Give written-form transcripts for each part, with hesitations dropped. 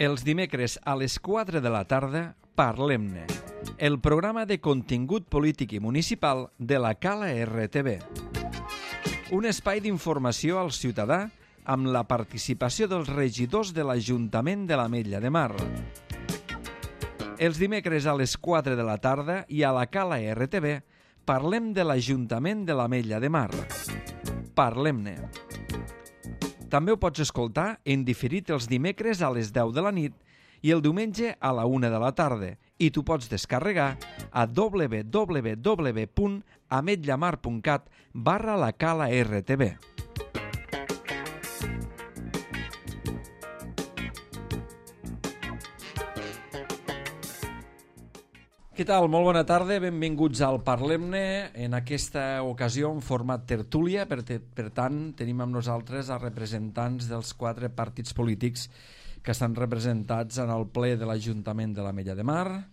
Els dimecres a les 4 de la tarda, Parlem-ne, el programa de contingut polític i municipal de la Cala RTV. Un espai d'informació al ciutadà amb la participació dels regidors de l'Ajuntament de l'Ametlla de Mar. Els dimecres a les 4 de la tarda i a la Cala RTV parlem de l'Ajuntament de l'Ametlla de Mar. Parlem-ne. També ho pots escoltar en diferit els dimecres a les 10 de la nit i el diumenge a la 1 de la tarda i t'ho pots descarregar a www.ametllamar.cat/la Cala RTV. Què tal? Molt bona tarda, benvinguts al Parlem-ne, en aquesta ocasió en format tertúlia, per tant tenim amb nosaltres els representants dels 4 partits polítics que estan representats en el ple de l'Ajuntament de l'Ametlla de Mar.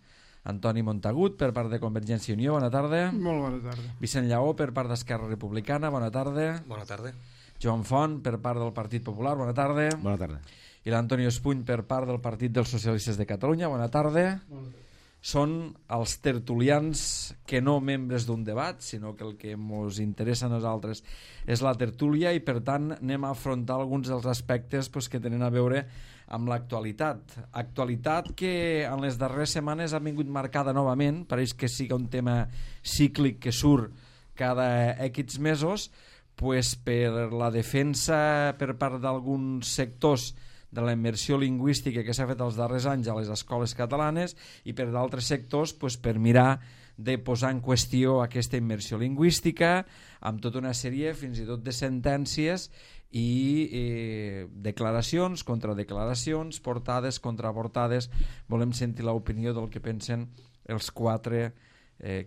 Antoni Montagut, per part de Convergència i Unió, bona tarda. Molt bona tarda. Vicent Lleó, per part d'Esquerra Republicana, bona tarda. Bona tarda. Joan Font, per part del Partit Popular, bona tarda. Bona tarda. I l'Antonio Espuny, per part del Partit dels Socialistes de Catalunya, bona tarda. Bona tarda. Són els tertulians que no membres d'un debat, sinó que el que ens interessa a nosaltres és la tertúlia i per tant anem a afrontar alguns dels aspectes que tenen a veure amb l'actualitat. Actualitat que en les darreres setmanes ha vingut marcada novament, pareix que sigui un tema cíclic que surt cada X mesos, per la defensa per part d'alguns sectors de la immersió lingüística que s'ha fet els darrers anys a les escoles catalanes i per d'altres sectors per mirar de posar en qüestió aquesta immersió lingüística amb tota una sèrie fins i tot de sentències i declaracions, contradeclaracions, portades, contraportades. Volem sentir l'opinió del que pensen els 4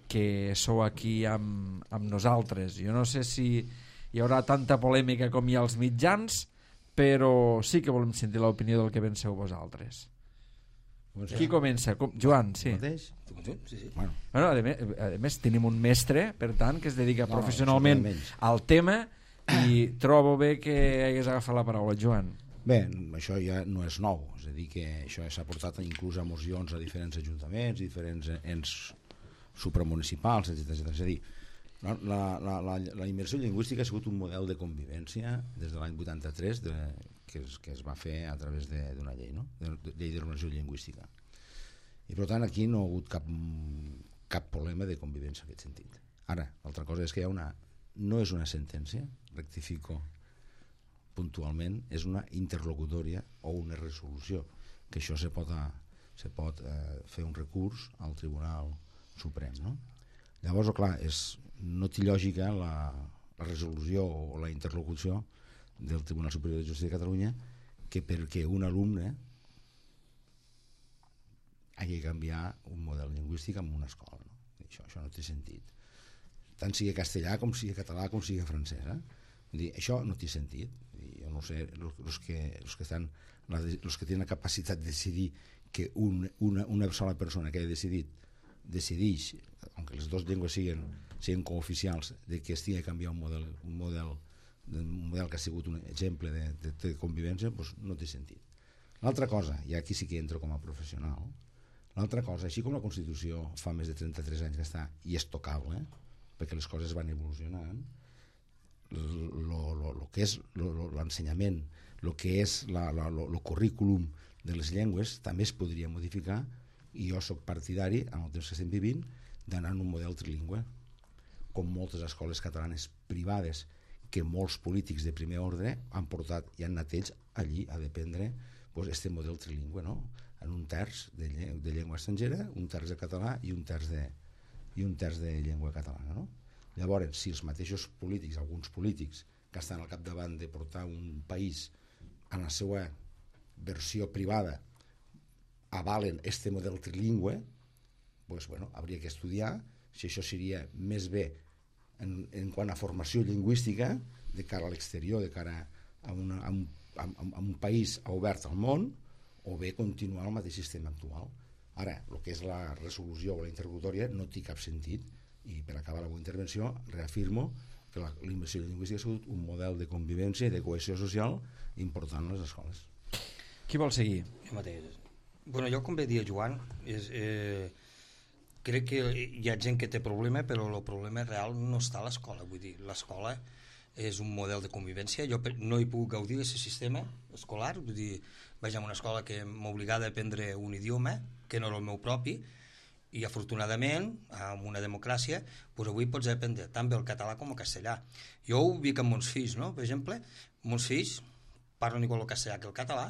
que sou aquí amb nosaltres. Jo no sé si hi haurà tanta polèmica com hi ha als mitjans, però sí que volem sentir l'opinió del que penseu vosaltres. Qui comença? Joan, sí. Sí. Bueno, a més tenim un mestre, per tant, que es dedica professionalment al tema i trobo bé que hagués agafat la paraula, Joan. Bé, això ja no és nou, és a dir que això s'ha portat inclús a mocions a diferents ajuntaments, diferents ens supramunicipals, etc. És a dir, la immersió lingüística ha sigut un model de convivència des de l'any 83 que es va fer a través d'una llei, no? Llei d'ordenació lingüística. I per tant aquí no ha hagut cap problema de convivència en aquest sentit. Ara, l'altra cosa és que no és una sentència, rectifico puntualment, és una interlocutòria o una resolució, que això se pot fer un recurs al Tribunal Suprem, no? Llavors, clar, no té lògica la resolució o la interlocució del Tribunal Superior de Justícia de Catalunya que perquè un alumne hagi de canviar un model lingüístic en una escola, no? Això no té sentit, tant sigui castellà com sigui català com sigui francès, això no té sentit. Jo no sé, els que tenen la capacitat de decidir que una sola persona que ha decideix, aunque les dues llengües siguin cooficials, de que estigui a canviar un model que ha sigut un exemple de convivència, doncs no té sentit. L'altra cosa, i aquí sí que entro com a professional, l'altra cosa, així com la Constitució fa més de 33 anys que està i és tocable, perquè les coses van evolucionant, el que és l'ensenyament, el que és el currículum de les llengües també es podria modificar, i jo soc partidari, en el temps que estem vivint, d'anar en un model trilingüe, com moltes escoles catalanes privades que molts polítics de primer ordre han portat i han anat ells allí a dependre aquest model trilingüe, no? En un terç de llengua estrangera, un terç de català i un terç de llengua catalana, no? Llavors, si els mateixos polítics, alguns polítics que estan al capdavant de portar un país en la seva versió privada avalen este model trilingüe, doncs, hauria que estudiar si això seria més bé en quant a formació lingüística de cara a l'exterior, de cara a un país obert al món, o bé continuar el mateix sistema actual. Ara, el que és la resolució o la interlocutòria no té cap sentit, i per acabar la meva intervenció reafirmo que la immersió lingüística ha sigut un model de convivència i de cohesió social important a les escoles. Qui vol seguir? Jo mateix. Bueno, jo com bé dia Joan, crec que hi ha gent que té problema, però el problema real no està a l'escola. Vull dir, l'escola és un model de convivència. Jo no hi puc gaudir d'aquest sistema escolar. Vull dir, vaig a una escola que m'obligava a aprendre un idioma que no era el meu propi, i afortunadament, amb una democràcia, doncs avui pots aprendre tant bé el català com el castellà. Jo ho dic amb meus fills, no? Per exemple, meus fills parlen igual el castellà que el català,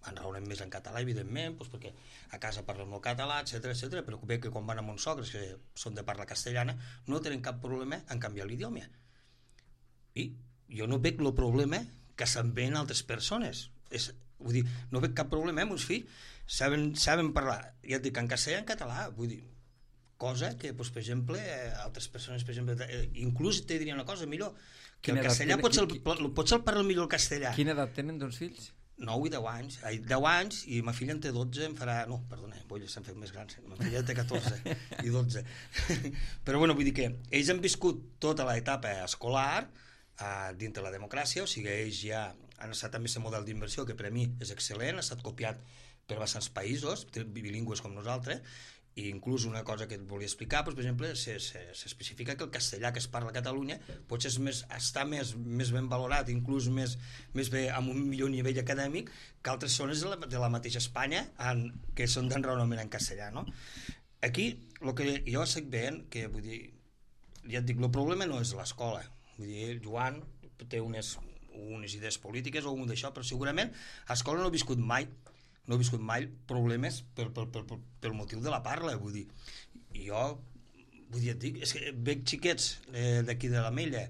enraonen més en català, evidentment, doncs perquè a casa parlen el català, etc, però bé que quan van amb uns sogres que són de parla castellana no tenen cap problema en canviar l'idioma. I jo no veig el problema que se'n veien altres persones. Vull dir, no veig cap problema, meus fills saben parlar, ja et dic, en castellà i en català, vull dir, cosa que, doncs, per exemple, altres persones, per exemple, inclús te diria una cosa millor, que el castellà potser el parla millor el castellà. Quina edat tenen, doncs, fills? 9 i 10 anys. 10 anys, i ma filla en té 12, em farà... No, perdona, s'han fet més grans. Ma filla en té 14 i 12. Però, bueno, vull dir que ells han viscut tota l'etapa escolar dintre la democràcia, o sigui, ells ja han estat amb aquest model d'inversió que per a mi és excel·lent, ha estat copiat per bastants països bilingües com nosaltres, i inclús una cosa que et volia explicar, doncs, per exemple, s'especifica que el castellà que es parla a Catalunya potser està més ben valorat, inclús més bé, amb un millor nivell acadèmic que altres zones de la mateixa Espanya que són d'enraonament en castellà, no? Aquí, el que jo estic veient, que vull dir, ja et dic, el problema no és l'escola. Vull dir, Joan té unes idees polítiques o un d'això, però segurament a l'escola no he viscut mai problemes pel motiu de la parla, vull dir. I jo, vull dir, et dic, és que veig xiquets d'aquí de l'Ametlla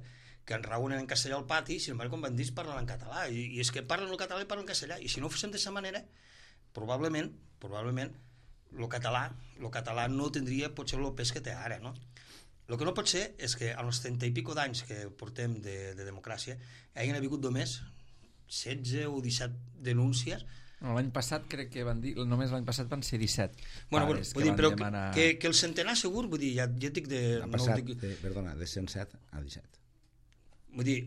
que enraonen en castellà al pati, i sin embargo quan van dir parlen en català, i és que parlen el català i parlen castellà, i si no ho féssim d'aquesta manera, probablement el català no tindria potser el pes que té ara, no? El que no pot ser és que als 30 i pico d'anys que portem de democràcia hagin hagut només 16 o 17 denúncies. L'any passat crec que van dir, només l'any passat van ser 17 pares que van demanar... Que el centenar segur, vull dir, ja dic de... Ha passat, de 107 a 17. Vull dir...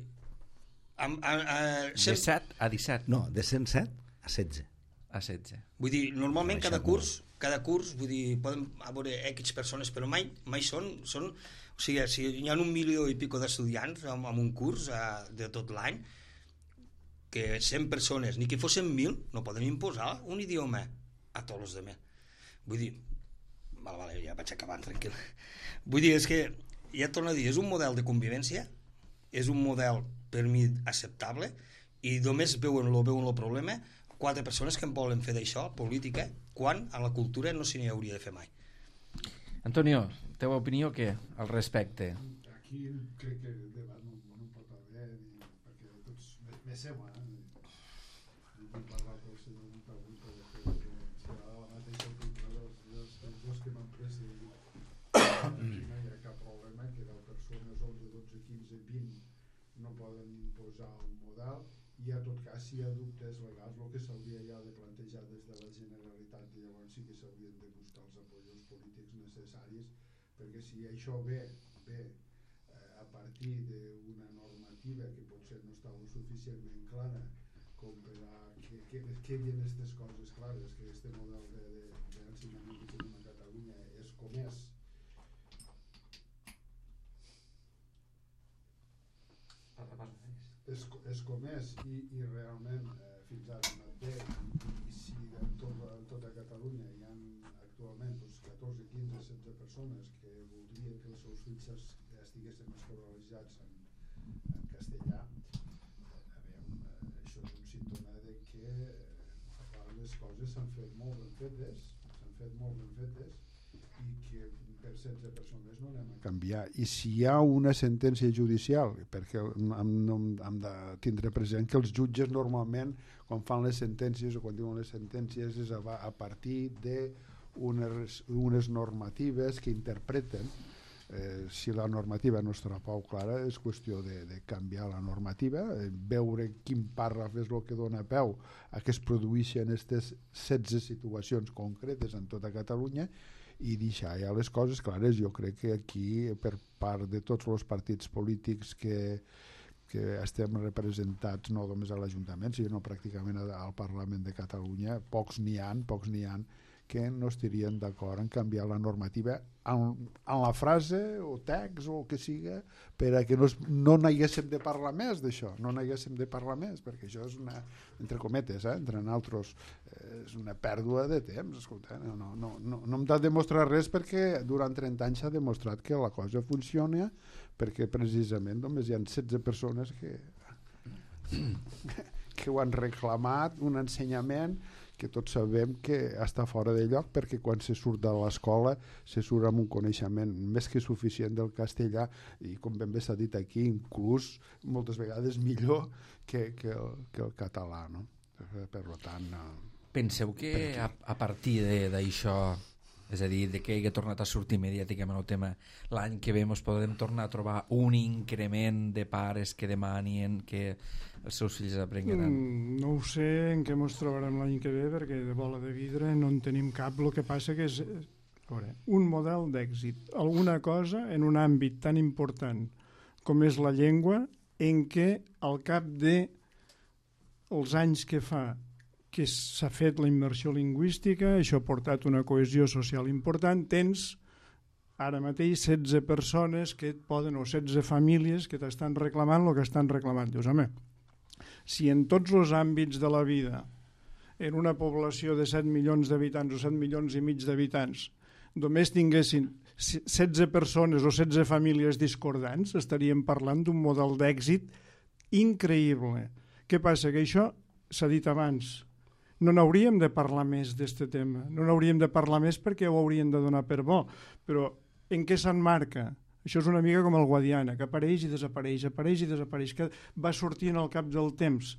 De 7 a 17. No, de 107 a 16. A 16. Vull dir, normalment cada curs, vull dir, poden haver X persones, però mai són... O sigui, si hi ha 1 milió i pico d'estudiants en un curs de tot l'any, que 100 persones, ni que fossin 1.000, no poden imposar un idioma a tots els altres. Vull dir, vale, ja vaig acabant, tranquil. Vull dir, és que, ja torno a dir, és un model de convivència, és un model, per mi, acceptable, i només veuen el problema 4 persones que en volen fer d'això política, quan a la cultura no s'hi hauria de fer mai. Antonio, teva opinió què al respecte? Aquí crec que el debat no pot haver, perquè tots vesseu, vull parlar pel senyor un pregunta que serà la mateixa opinió dels dos que m'han precedit. Aquí no hi ha cap problema que 10 persones, 11, 12, 15, 20 no poden imposar un model, i a tot cas si hi ha dubtes legals el que s'hauria ja de plantejar des de la Generalitat, i llavors sí que s'haurien de buscar els apoyos polítics necessaris, perquè si això ve a partir d'una normativa que potser no està suficientment clara com per a que quedin aquestes coses clares, que aquest model d'ensenyament que tenim a Catalunya és com és. És com és, i realment fins ara no té, i si en tota Catalunya hi ha actualment 14, 15, 16 persones que voldrien que els seus fills estiguessin escolaritzats en castellà, això és un símptoma de que les coses s'han fet molt ben fetes, i que per 16 persones no anem a canviar. I si hi ha una sentència judicial, perquè hem de tindre present que els jutges normalment quan fan les sentències o quan diuen les sentències és a partir d'unes normatives que interpreten. Si la normativa no estarà prou clara és qüestió de canviar la normativa, veure quin pàrraf és el que dona peu a que es produeixen aquestes 16 situacions concretes en tota Catalunya i deixar ja les coses clares. Jo crec que aquí per part de tots els partits polítics que que estem representats no només a l'Ajuntament, sinó pràcticament al Parlament de Catalunya, pocs n'hi ha que no estarien d'acord en canviar la normativa en la frase o text o el que siga per a que no n'haguéssim de parlar més d'això, perquè això és una, entre cometes, entre nosaltres, és una pèrdua de temps. Escolta, no hem de demostrar res, perquè durant 30 anys s'ha demostrat que la cosa funciona, perquè precisament només hi ha 16 persones que ho han reclamat, un ensenyament que tots sabem que està fora de lloc, perquè quan se surt de l'escola se surt amb un coneixement més que suficient del castellà, i com ben bé s'ha dit aquí, inclús moltes vegades millor que el català, no? Per tant... Penseu que a partir d'això, és a dir, de que hagi tornat a sortir mediàticament el tema, l'any que ve ens podem tornar a trobar un increment de pares que demanin que els seus fills aprenguin? No ho sé en què ens trobarem l'any que ve, perquè de bola de vidre no en tenim cap. El que passa que és un model d'èxit, alguna cosa en un àmbit tan important com és la llengua, en què al cap de els anys que fa que s'ha fet la immersió lingüística, això ha portat una cohesió social important, tens ara mateix 16 persones que et poden, o 16 famílies que t'estan reclamant el que estan reclamant. Dius, home, si en tots els àmbits de la vida, en una població de 7 milions d'habitants o 7 milions i mig d'habitants, només tinguessin 16 persones o 16 famílies discordants, estaríem parlant d'un model d'èxit increïble. Què passa? Que això s'ha dit abans. No n'hauríem de parlar més d'aquest tema, no n'hauríem de parlar més perquè ho haurien de donar per bo, però en què s'emmarca? Això és una mica com el Guadiana, que apareix i desapareix, que va sortint al cap del temps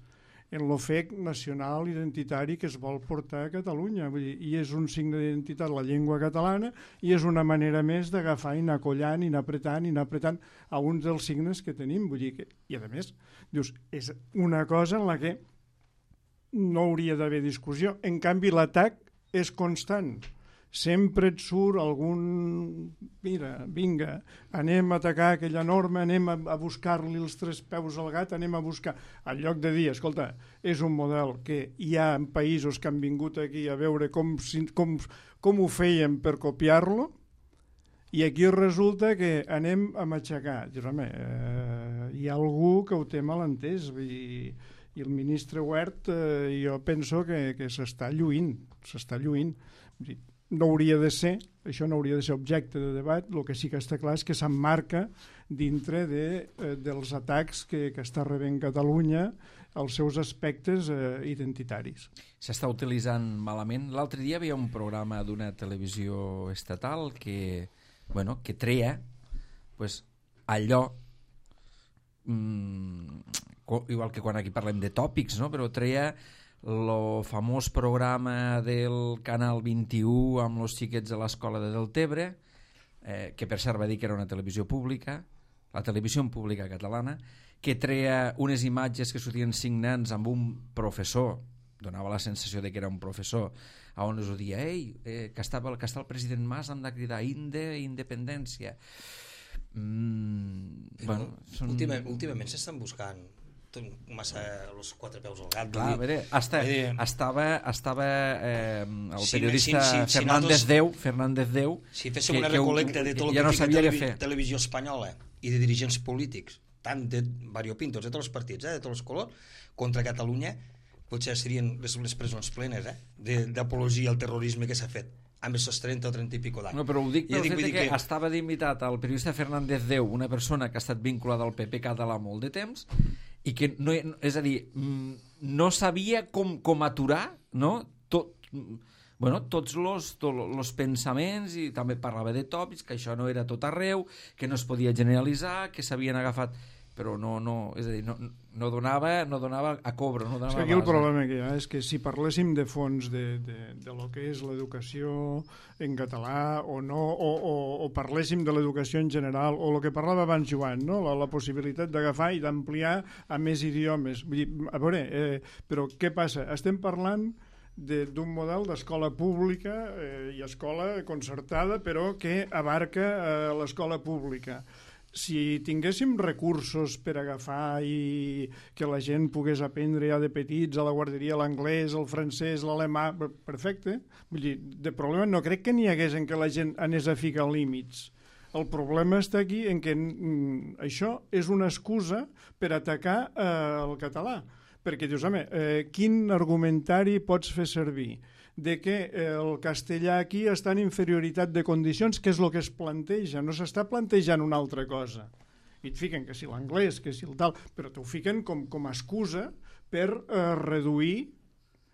en l'ofec nacional identitari que es vol portar a Catalunya. Vull dir, i és un signe d'identitat la llengua catalana, i és una manera més d'agafar i anar collant i anar apretant a uns dels signes que tenim. Vull dir que, i a més, dius, és una cosa en la que no hauria d'haver discussió. En canvi, l'atac és constant. Sempre et surt algun... Mira, vinga, anem a atacar aquella norma, anem a buscar-li els 3 peus al gat, anem a buscar... En lloc de dir, escolta, és un model que hi ha en països que han vingut aquí a veure com ho feien per copiar-lo, i aquí resulta que anem a matxacar. Dius, home, hi ha algú que ho té mal entès, i el ministre Wert jo penso que s'està lluint. No hauria de ser, això no hauria de ser objecte de debat. El que sí que està clar és que s'emmarca dintre dels atacs que està rebent Catalunya als seus aspectes identitaris. S'està utilitzant malament. L'altre dia hi havia un programa d'una televisió estatal que treia allò, igual que quan aquí parlem de tòpics, no? Però treia el famós programa del Canal 21 amb els xiquets de l'escola de Deltebre, que per cert va dir que era una televisió pública, la televisió pública catalana, que treia unes imatges que sortien 5 nens amb un professor, donava la sensació de que era un professor, on es dia, que està el president Mas, hem de cridar independència. Últimament s'estan buscant massa els 4 peus al gat. Clar, a veure, estava el periodista Fernández Deu, si féssim una recolecta de tot el que fica televisió espanyola i de dirigents polítics, tant de variopintos, de tots els partits, de tots els colors, contra Catalunya, potser serien les presons plenes d'apologia al terrorisme que s'ha fet amb aquests 30 o 30 i pico d'anys. No, però ho dic pel fet que estava d'invitat el periodista Fernández Deu, una persona que ha estat vinculada al PP català molt de temps, i que no, és a dir, no sabia com aturar, no? Tots els pensaments, i també parlava de tòpics, que això no era tot arreu, que no es podia generalitzar, que s'havien agafat, però és a dir, no donava a cobre. Aquí el problema que hi ha és que si parléssim de fons de lo que és l'educació en català o no, o parléssim de l'educació en general, o el que parlava abans Joan, no? la possibilitat d'agafar i d'ampliar a més idiomes. Vull dir, a veure, però què passa? Estem parlant d'un model d'escola pública i escola concertada, però que abarca l'escola pública. si tinguéssim recursos per agafar i que la gent pogués aprendre ja de petits a la guarderia l'anglès, el francès, l'alemà, perfecte. Vull dir, de problema no crec que n'hi hagués en que la gent anés a ficar límits. El problema està aquí en que això és una excusa per atacar el català. Perquè dius, home, quin argumentari pots fer servir? De que el castellà aquí està en inferioritat de condicions, que és el que es planteja, no s'està plantejant una altra cosa. I et fiquen que si l'anglès, que si el tal, però t'ho fiquen com a excusa per reduir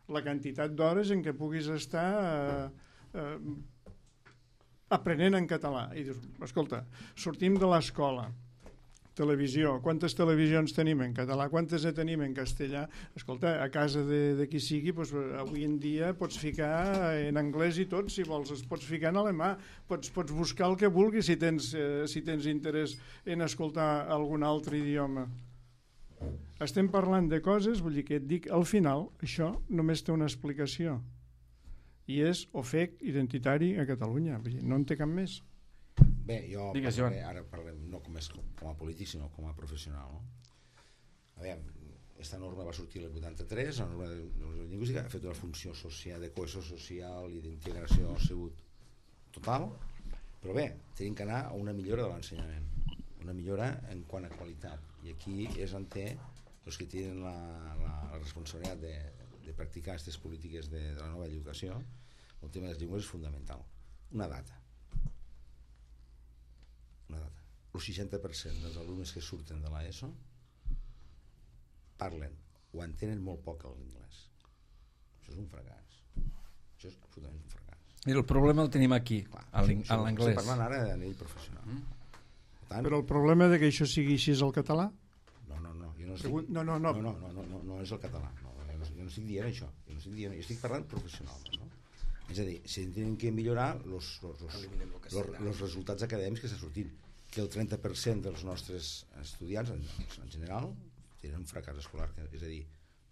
la quantitat d'hores en què puguis estar aprenent en català. I dius, escolta, sortim de l'escola, televisió, quantes televisions tenim en català, quantes tenim en castellà? Escolta, a casa de qui sigui, doncs, avui en dia pots ficar en anglès i tot, si vols, es pots ficar en alemà, pots buscar el que vulguis si tens interès en escoltar algun altre idioma. Estem parlant de coses, vull dir que et dic, al final, això només té una explicació, i és ofec identitari a Catalunya, vull dir, no en té cap més. Bé, jo Digues, parlaré, ara parlem no com a polític sinó com a professional, no? A veure, aquesta norma va sortir el 83, la norma de lingüística ha fet una funció social, de cohesió social i d'integració ha sigut total, però bé, tenim que anar a una millora de l'ensenyament, una millora en quant a qualitat, i aquí és on té els que tenen la responsabilitat de practicar aquestes polítiques de la nova educació. El tema de les llengües és fonamental. Una data. El 60% dels alumnes que surten de l'ESO parlen o entenen molt poc l'anglès. Això és un fracàs. Això és absolutament un fracàs. I el problema el tenim aquí, a l'anglès. Estic parlant ara a nivell professional. Tant, Però el problema de que això sigui així és el català? no, jo no estic... No és el català. Jo no estic dient això. Jo estic parlant professionalment, no? És a dir, si tenen que millorar els resultats acadèmics que estan sortint, que el 30% dels nostres estudiants en general tenen un fracàs escolar, és a dir,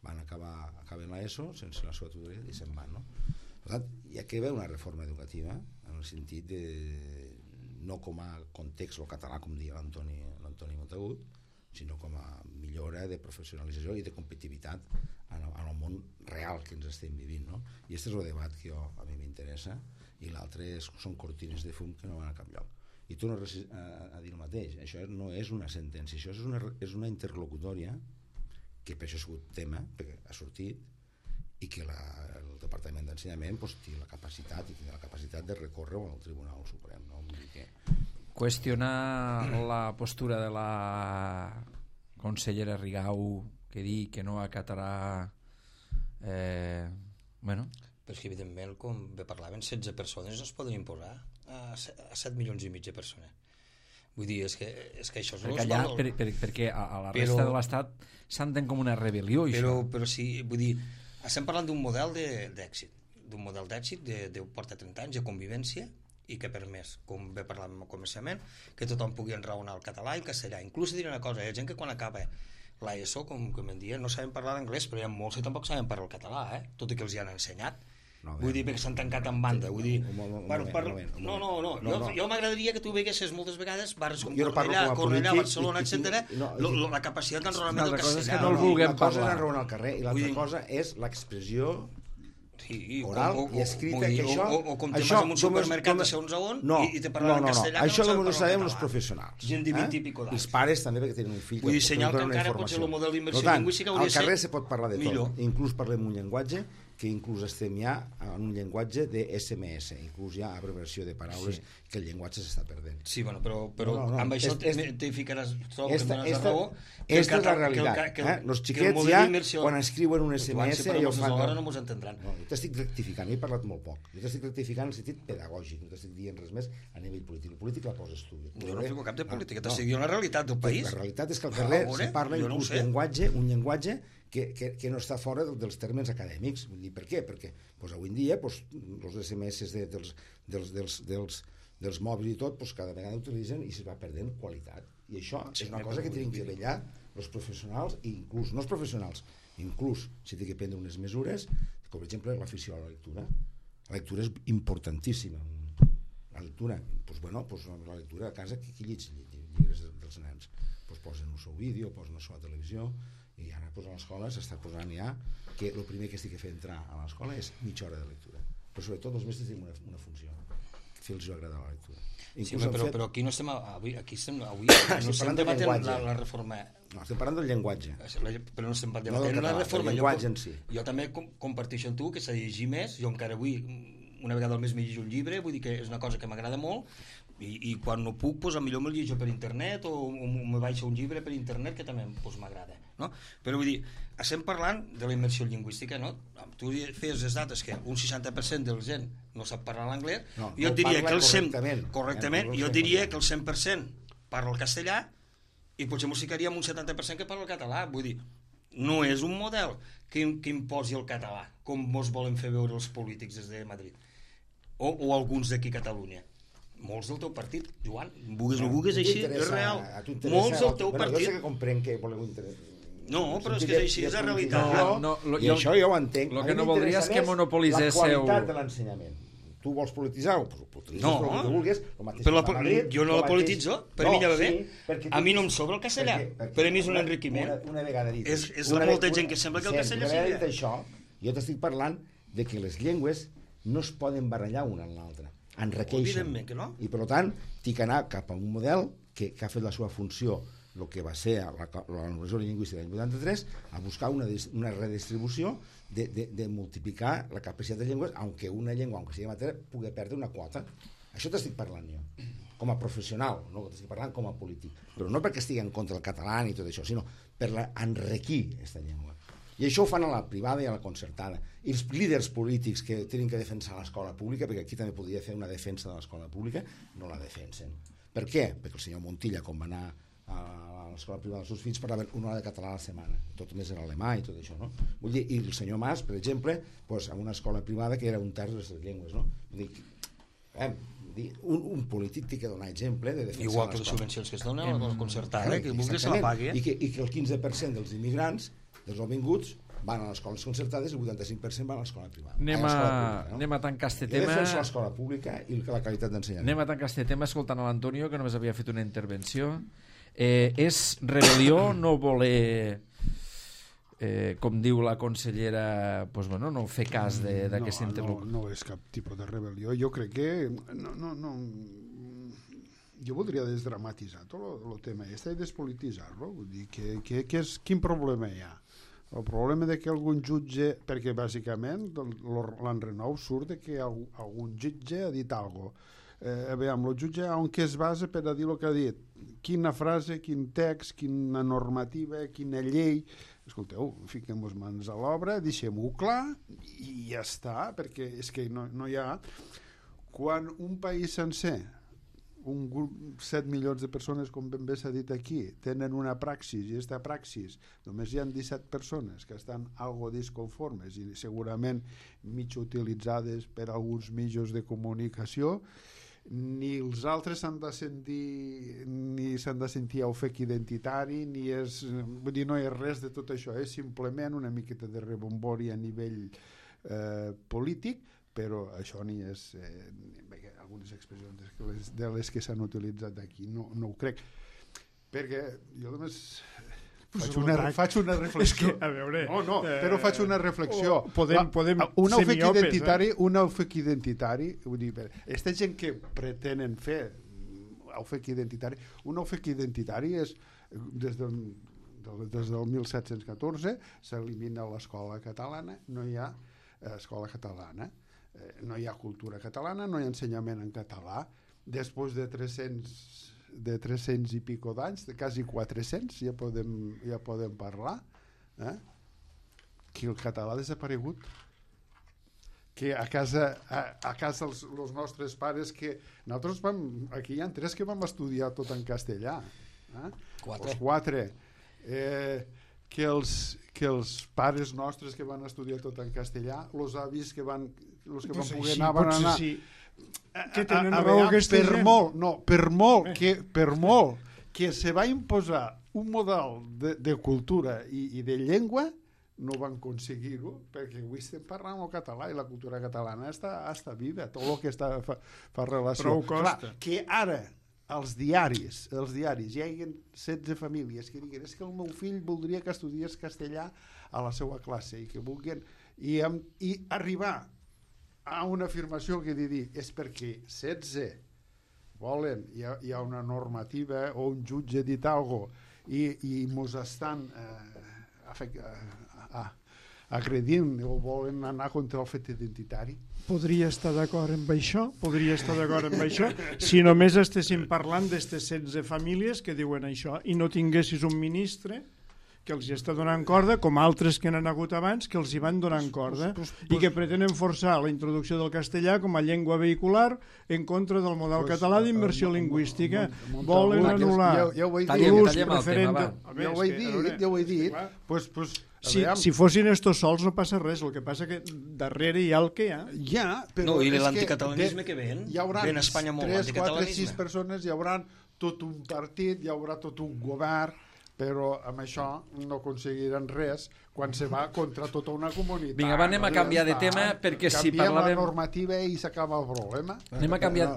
acaben l'ESO sense la seva tutoria i se'n van, no? Per tant, hi ha que haver una reforma educativa en el sentit de, no com a context o català, com deia l'Antoni Montagut, sinó com a millora de professionalització i de competitivitat en el món real que ens estem vivint, no? I aquest és el debat que a mi m'interessa, i l'altre són cortines de fum que no van a cap lloc. I torno a dir el mateix, això no és una sentència, això és una interlocutòria que per això ha sigut tema, perquè ha sortit, i que el Departament d'Ensenyament té la capacitat de recórrer al Tribunal Suprem, no? Vull dir que... Qüestionar la postura de la consellera Rigau, que diu que no acatarà bueno. Però és que evidentment, com bé parlaven, 16 persones no es poden imposar a 7 milions i mig de persones. Vull dir, és que això és... Perquè allà, perquè a la resta de l'Estat s'entén com una rebel·lió, això. Però sí, vull dir, estem parlant d'un model d'èxit, de porta 30 anys de convivència, i que ha permès, com bé parlàvem al començament, que tothom pugui enraonar el català i el castellà. Inclús diré una cosa, hi ha gent que quan acaba l'ESO, com em diuen, no saben parlar anglès, però hi ha molts que tampoc saben parlar el català, tot i que els hi han ensenyat. Vull dir, perquè s'han tancat en banda. Vull dir, jo m'agradaria que tu veiessis moltes vegades bars com Cornellà, Barcelona, etc. La capacitat d'enraonament del castellà. Una cosa és enraonar al carrer i l'altra cosa és l'expressió oral i escrita, que això... O com te vas a un supermercat de segons a on i te parlen en castellà. Això només ho sabem els professionals. Gent de 20 i pico d'anys. Els pares també, perquè tenen un fill. Vull dir, senyal que encara potser el model d'immersió lingüística hauria de ser... Al carrer se pot parlar de tot. Inclús parlem un llenguatge que inclús estem ja en un llenguatge de SMS, inclús ja abreviació de paraules, que el llenguatge s'està perdent. Sí, bueno, però amb això t'hi ficaràs, trobo que dones la raó. Esta és la realitat. Els xiquets ja, quan escriuen un SMS, ja ho fan. Alhora no mos entendran. Jo t'estic rectificant, he parlat molt poc. Jo t'estic rectificant en el sentit pedagògic, no t'estic dient res més a nivell polític. El polític la poses tu. Jo no fico cap de política, t'estic dient la realitat del país. La realitat és que al carrer se parla inclús un llenguatge que no està fora dels termes acadèmics. Vull dir, per què? Perquè avui en dia els SMS dels mòbils i tot cada vegada utilitzen i se va perdent qualitat. I això és una cosa que tenen que vetllar els professionals, i inclús no els professionals, inclús si té que prendre unes mesures, com per exemple l'afició a la lectura. La lectura és importantíssima. La lectura, la lectura a casa, qui llegeix? llibres dels nens. Pues posen un seu vídeo, posen una seva televisió, i ara pues, a l'escola s'està posant ja que el primer que estic fent entrar a l'escola és mitja hora de lectura. Però sobretot els mestres tenen una funció, fer-los agradar la lectura. Sí, però aquí no estem avui no estem debatent la reforma. No, estem parlant del llenguatge. Però no estem debatent la reforma. El llenguatge en si. Jo també comparteixo amb tu que s'ha de llegir més. Jo encara avui, una vegada al mes m'he llegit un llibre, vull dir que és una cosa que m'agrada molt, i quan no puc, doncs, millor me'l llegeixo per internet o me baixo un llibre per internet que també m'agrada. No? Però vull dir, estem parlant de la immersió lingüística, no? Tu feies les dates que un 60% de la gent no sap parlar l'anglès, jo et diria que el 100%, correctament, jo diria que el 100% parla el castellà i potser m'ho ficaríem un 70% que parla el català. Vull dir, no és un model que imposi el català, com mos volen fer veure els polítics des de Madrid, o alguns d'aquí a Catalunya. Molts del teu partit, Joan, vulguis o no vulguis, així, és real. Molts del teu partit. Jo sé que comprenc que voleu interessar. No, però és que és així, és la realitat. I això jo ho entenc. El que no voldria és que monopolitzéssiu... La qualitat de l'ensenyament. Tu vols polititzar-ho? No, però jo no la polititzo, per mi ja va bé. A mi no em sobra el castellà, per a mi és un enriquiment. Una vegada dit. És la molta gent que sembla que el castellà sigui. Una vegada dit això, jo t'estic parlant de que les llengües no es poden barallar una amb l'altra, enriqueixen. Evidentment que no. I per tant, tinc que anar cap a un model que ha fet la seva funció, el que va ser la normalització lingüística l'any 83, a buscar una redistribució de multiplicar la capacitat de llengües, aunque una llengua, aunque sigui matèria, pugui perdre una quota. Això t'estic parlant jo, com a professional, no t'estic parlant com a polític, però no perquè estigui en contra del català ni tot això, sinó per enriquir aquesta llengua. I això ho fan a la privada i a la concertada. I els líders polítics que tenen que defensar l'escola pública, perquè aquí també podria fer una defensa de l'escola pública, no la defensen. Per què? Perquè el senyor Montilla, quan va anar a l'escola privada dels seus fills, parlava una hora de català a la setmana, tot més en alemà i tot això, no? Vull dir, i el senyor Mas, per exemple, doncs, en una escola privada que era un terç de les llengües, no? Vull dir, un polític té que donar exemple de defensar igual que les subvencions que es donen a la concertada, que vulgui se la pagui. I que el 15% dels immigrants, dels nouvinguts, van a les escoles concertades i el 85% van a l'escola privada. Anem a tancar este tema. Jo defenso l'escola pública i la qualitat d'ensenyament. Anem a tancar este tema escoltant a l'Antonio, que només havia fet una intervenció. És rebel·lió no voler, com diu la consellera, pues, bueno, no fer cas d'aquesta interlocució? No és cap tipus de rebel·lió. Jo crec que... Jo voldria desdramatitzar tot el tema i despolititzar-lo. Vull dir, quin problema hi ha? El problema de que algun jutge, perquè bàsicament l'enrenou surt de que algun jutge ha dit alguna cosa. Aviam, el jutge on què es basa per a dir el que ha dit? Quina frase, quin text, quina normativa, quina llei... Escolteu, fiquem-nos mans a l'obra, deixem-ho clar i ja està, perquè és que no hi ha... Quan un país sencer, un grup, 7 milions de persones, com ben bé s'ha dit aquí, tenen una praxis, i aquesta praxis només hi ha 17 persones que estan algo disconformes i segurament mig utilitzades per alguns mitjans de comunicació, ni els altres s'han de sentir ofec identitari, vull dir, no és res de tot això, és simplement una miqueta de rebombori a nivell polític, però això ni és algunes expressions de les que s'han utilitzat aquí no ho crec, perquè jo només faig una reflexió. És que, a veure... Però faig una reflexió. Podem un ser miopes, ofec identitari, vull dir, aquesta gent que pretenen fer ofec identitari, un ofec identitari és des del 1714 s'elimina l'escola catalana, no hi ha escola catalana, no hi ha cultura catalana, no hi ha ensenyament en català. Després de 300 i pico d'anys, de quasi 400, ja podem parlar, que el català ha desaparegut, que a casa els nostres pares, que nosaltres aquí hi ha 3 que vam estudiar tot en castellà, 4, que els pares nostres que van estudiar tot en castellà, els avis que van poder anar, van anar... Que tenen raó aquesta gent. Per molt que se va imposar un model de cultura i de llengua, no van aconseguir-ho, perquè avui estem parlant el català i la cultura catalana està viva, tot el que fa relació. Però ho costa. Clar, que ara als diaris, hi ha 16 famílies que diguen és que el meu fill voldria que estudiés castellà a la seva classe i que vulguin i arribar a una afirmació que dir és perquè 16 volen, hi ha una normativa o un jutge ha dit alguna cosa i mos estan agredint o volen anar contra el fet identitari. Podria estar d'acord amb això, si només estéssim parlant d'aquestes 16 famílies que diuen això i no tinguessis un ministre que els hi està donant corda, com altres que n'han hagut abans, que els hi van donant corda i que pretenen forçar la introducció del castellà com a llengua vehicular en contra del model català d'immersió lingüística. Volen anul·lar l'ús preferent... Ja ho he dit. Si fossin estos sols no passa res, el que passa que darrere hi ha el que hi ha. No, i l'anticatalanisme que ven a Espanya molt, 3, 4, 6 l'anticatalanisme. persones, hi haurà tot un partit, hi haurà tot un govern, però amb això no aconseguiran res quan se va contra tota una comunitat. Vinga, anem a canviar de tema perquè si parlàvem... Canviem la normativa i s'acaba el problema. Anem a canviar...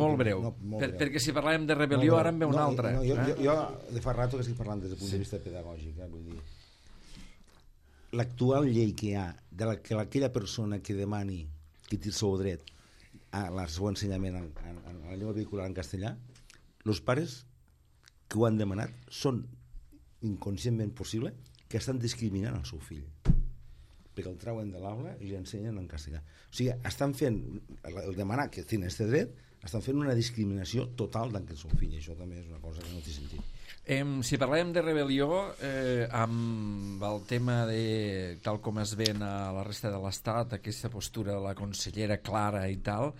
Molt breu. Perquè si parlàvem de rebel·lió ara en ve una altra. Jo de fa rato que estic parlant des del punt de vista pedagògic, vull dir, l'actual llei que hi ha de que aquella persona que demani que té el seu dret al seu ensenyament en la llengua vehicular en castellà, els pares que ho han demanat són inconscientment possible que estan discriminant el seu fill perquè el trauen de l'aula i l'ensenyen en castellà. O sigui, estan fent el demanar que tenen aquest dret, estan fent una discriminació total d'en el seu fill, i això també és una cosa que no té sentit. Si parlem de rebel·lió, amb el tema de, tal com es ven a la resta de l'Estat, aquesta postura de la consellera Clara i tal,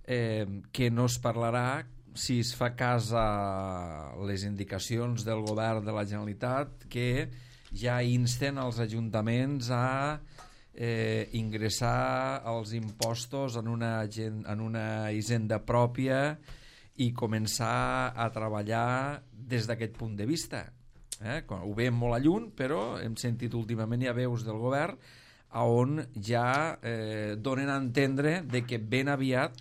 que no es parlarà si es fa cas a les indicacions del govern de la Generalitat que ja insten els ajuntaments a ingressar els impostos en una hisenda pròpia i començar a treballar des d'aquest punt de vista. Ho veiem molt a lluny, però hem sentit últimament ja veus del govern on ja donen a entendre de que ben aviat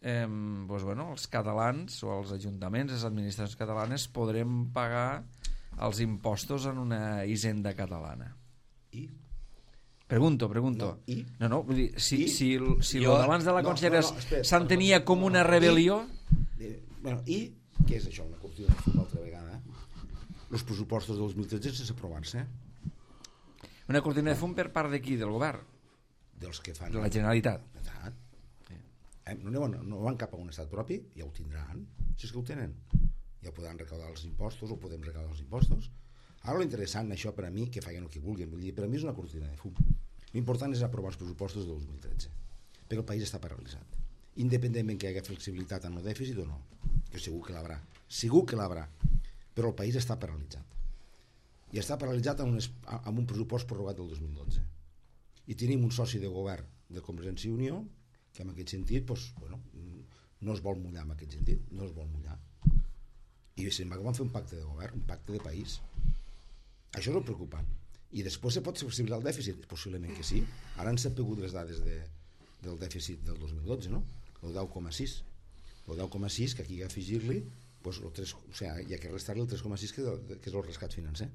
els catalans o els ajuntaments, les administracions catalanes podrem pagar els impostos en una hisenda catalana. I? Pregunto. No, vull dir, si el d'abans de la consellera s'entenia com una rebel·lió... I què és això? Una cortina de fum altra vegada. Els pressupostos del 2013 sense aprovar-se. Una cortina de fum per part de qui? Del govern? Dels que fan... De la Generalitat. No van cap a un estat propi, ja ho tindran, si és que ho tenen. Ja podran recaudar els impostos o podem recaudar els impostos. Ara l'interessant, això per a mi, que facin el que vulguin, vull dir, per a mi és una cortina de fum. L'important és aprovar els pressupostos de 2013, perquè el país està paralitzat. Independentment que hi hagi flexibilitat en el dèficit o no, que segur que l'haurà, però el país està paralitzat. I està paralitzat amb un pressupost prorrogat del 2012. I tenim un soci de govern de Convergència i Unió que en aquest sentit no es vol mullar en aquest sentit, no es vol mullar. I se'n va fer un pacte de govern, un pacte de país. Això és el preocupant. I després se pot flexibilitzar el dèficit? Possiblement que sí. Ara han sapigut les dades del dèficit del 2012, no? El 10,6. El 10,6, que aquí hi ha que afegir-li, hi ha que restar-li el 3,6 que és el rescat financer.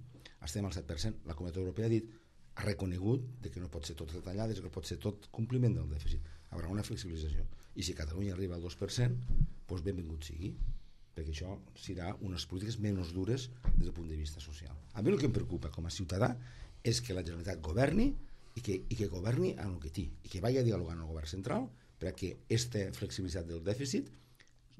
Estem al 7%. La Comunitat Europea ha reconegut que no pot ser tot retallades, que no pot ser tot compliment del dèficit. Hi haurà una flexibilització. I si Catalunya arriba al 2%, doncs benvingut sigui, perquè això serà unes polítiques menys dures des del punt de vista social. A mi el que em preocupa com a ciutadà és que la Generalitat governi i que governi en el que té, i que vagi a dialogar amb el govern central perquè aquesta flexibilitat del dèficit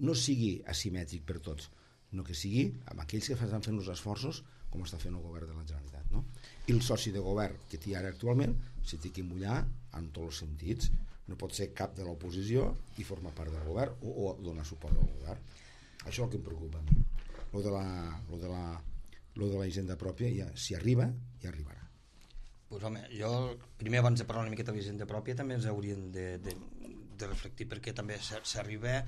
no sigui asimètric per tots, no que sigui amb aquells que estan fent els esforços com està fent el govern de la Generalitat, no? I el soci de govern que té ara actualment s'hi té que mullar en tots els sentits. No pot ser cap de l'oposició i formar part del govern o donar suport al govern. Això és el que em preocupa a mi. Lo de la hisenda pròpia, si arriba, ja arribarà. Pues home, jo primer abans de parlar una miqueta de la hisenda pròpia també ens hauríem de reflectir perquè també s'arriba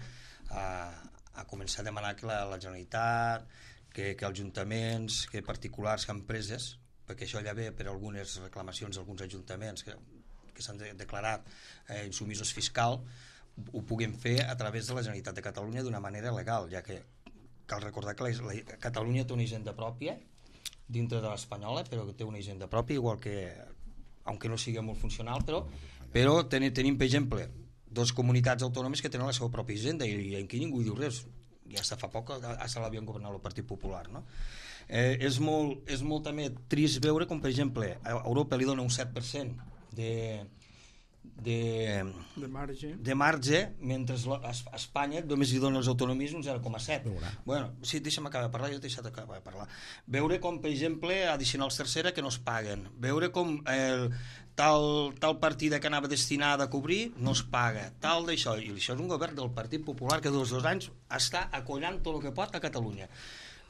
a començar a demanar que la Generalitat, que ajuntaments, que particulars, que empreses, perquè això ja ve per algunes reclamacions d'alguns ajuntaments que s'han declarat insumisos fiscal, ho puguem fer a través de la Generalitat de Catalunya d'una manera legal, ja que cal recordar que Catalunya té una hisenda pròpia dintre de l'espanyola, però que té una hisenda pròpia, igual que, aunque no sigui molt funcional, però tenim, per exemple, dues comunitats autònomes que tenen la seva pròpia hisenda i aquí ningú diu res. Ja fa poc se l'havien governat el Partit Popular, no? És molt també trist veure com, per exemple, a Europa li dona un 7% de marge, mentre a Espanya només li dona les autonomies un 0,7. Bueno, sí, deixa'm acabar de parlar, jo t'he deixat acabar de parlar. Veure com, per exemple, addicionals tercera que no es paguen, veure com tal partida que anava destinada a cobrir no es paga, tal d'això, i això és un govern del Partit Popular que dels 2 anys està acollant tot el que pot a Catalunya.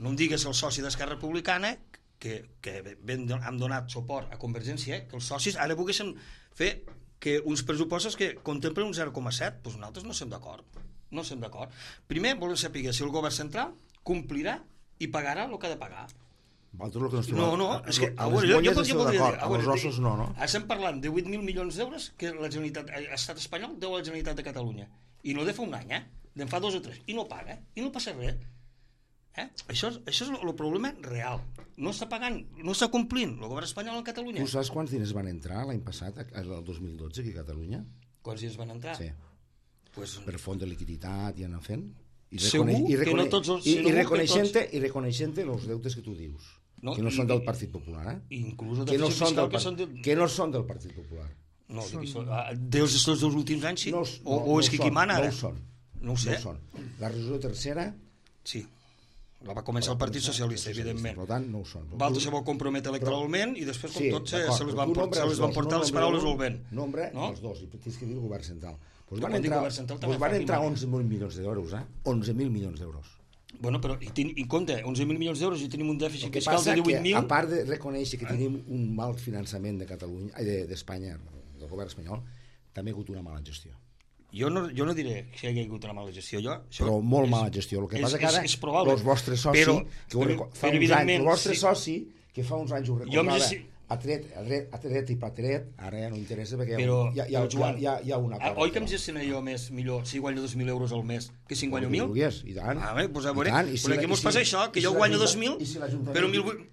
No em digues el soci d'Esquerra Republicana que hem donat suport a Convergència, que els socis ara volguessin fer que uns pressupostos que contemplen un 0,7, doncs nosaltres no estem d'acord. No estem d'acord. Primer volem saber si el govern central complirà i pagarà el que ha de pagar. No, és que a les molles estem d'acord, a els ossos no. Estem parlant de 8.000 milions d'euros que l'estat espanyol deu a la Generalitat de Catalunya. I no de fa un any, d'en fa 2 o 3. I no paga, i no passa res. Això és el problema real. No està pagant, no està complint el govern espanyol en Catalunya. Tu saps quants diners van entrar l'any passat, el 2012, aquí a Catalunya? Quants diners van entrar? Sí. Per fons de liquiditat i anar fent. Segur que no tots els... I reconeixent els deutes que tu dius, que no són del Partit Popular, inclús el que no són del Partit Popular. No, dels dos últims anys sí? O és que qui mana ara? No ho són. No ho sé. La resolució tercera... Sí. La va començar el Partit Socialista, evidentment. Per tant, no ho són. Valtres se vol comprometre electoralment i després, com tot, se les van portar les paraules al vent. Nombre, els dos, i tens que dir el govern central. Van entrar 11.000 milions d'euros, 11.000 milions d'euros. Bueno, però, i compte, 11.000 milions d'euros i tenim un dèficit fiscal de 18.000... A part de reconèixer que tenim un mal finançament d'Espanya, del govern espanyol, també ha hagut una mala gestió. Jo no diré que hi ha hagut una mala gestió. Però molt mala gestió. El que passa que ara els vostres socis, el vostre soci, que fa uns anys ho recordava, ha tret i patret, ara ja no interessa perquè hi ha una cosa. Oi que em gestionaré jo millor si guanyo 2.000 euros al mes que si en guanyo 1.000? I tant. Doncs a veure, però aquí mos passa això, que jo guanyo 2.000,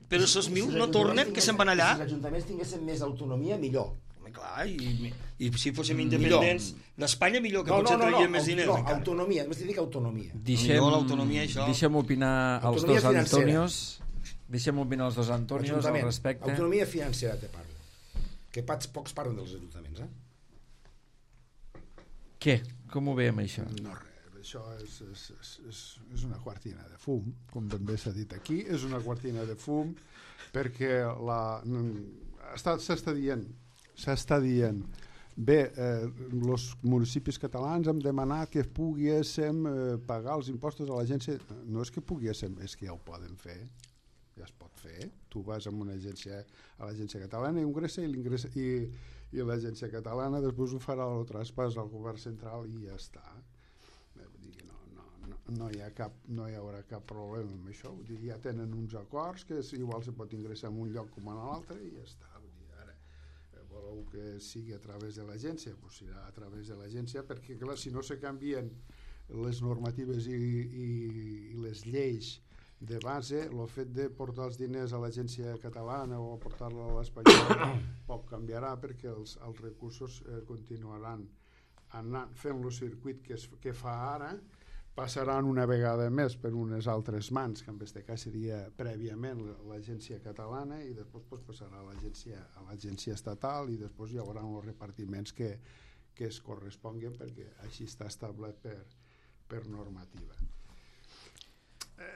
però esos 1.000 no tornen, que se'n van allà. Si els ajuntaments tinguessin més autonomia, millor. Clar, i si fóssim independents d'Espanya millor, que potser traiem més diners. No, autonomia, més dic autonomia. Deixem opinar els dos Antonios. Deixem opinar els dos Antonios al respecte. Autonomia financera te parlo. Que pocs parlen dels ajuntaments, Què? Com ho veiem, això? No, res, això és una cortina de fum, com ben bé s'ha dit aquí, és una cortina de fum perquè s'està dient bé, els municipis catalans hem demanat que poguéssim pagar els impostos a l'agència. No és que poguéssim, és que ja ho poden fer, ja es pot fer. Tu vas a una agència, a l'agència catalana, i l'agència catalana després ho farà el traspàs al govern central i ja està. No hi haurà cap problema amb això. Ja tenen uns acords que igual se pot ingressar en un lloc com en l'altre i ja està. Voleu que sigui a través de l'agència, doncs serà a través de l'agència, perquè clar, si no se canvien les normatives i les lleis de base, el fet de portar els diners a l'agència catalana o portar-la a l'espanyola poc canviarà, perquè els recursos continuaran fent el circuit que fa ara, passaran una vegada més per unes altres mans, que en aquest cas seria prèviament l'agència catalana, i després passarà a l'agència estatal, i després hi haurà els repartiments que es corresponguen, perquè així està establert per normativa.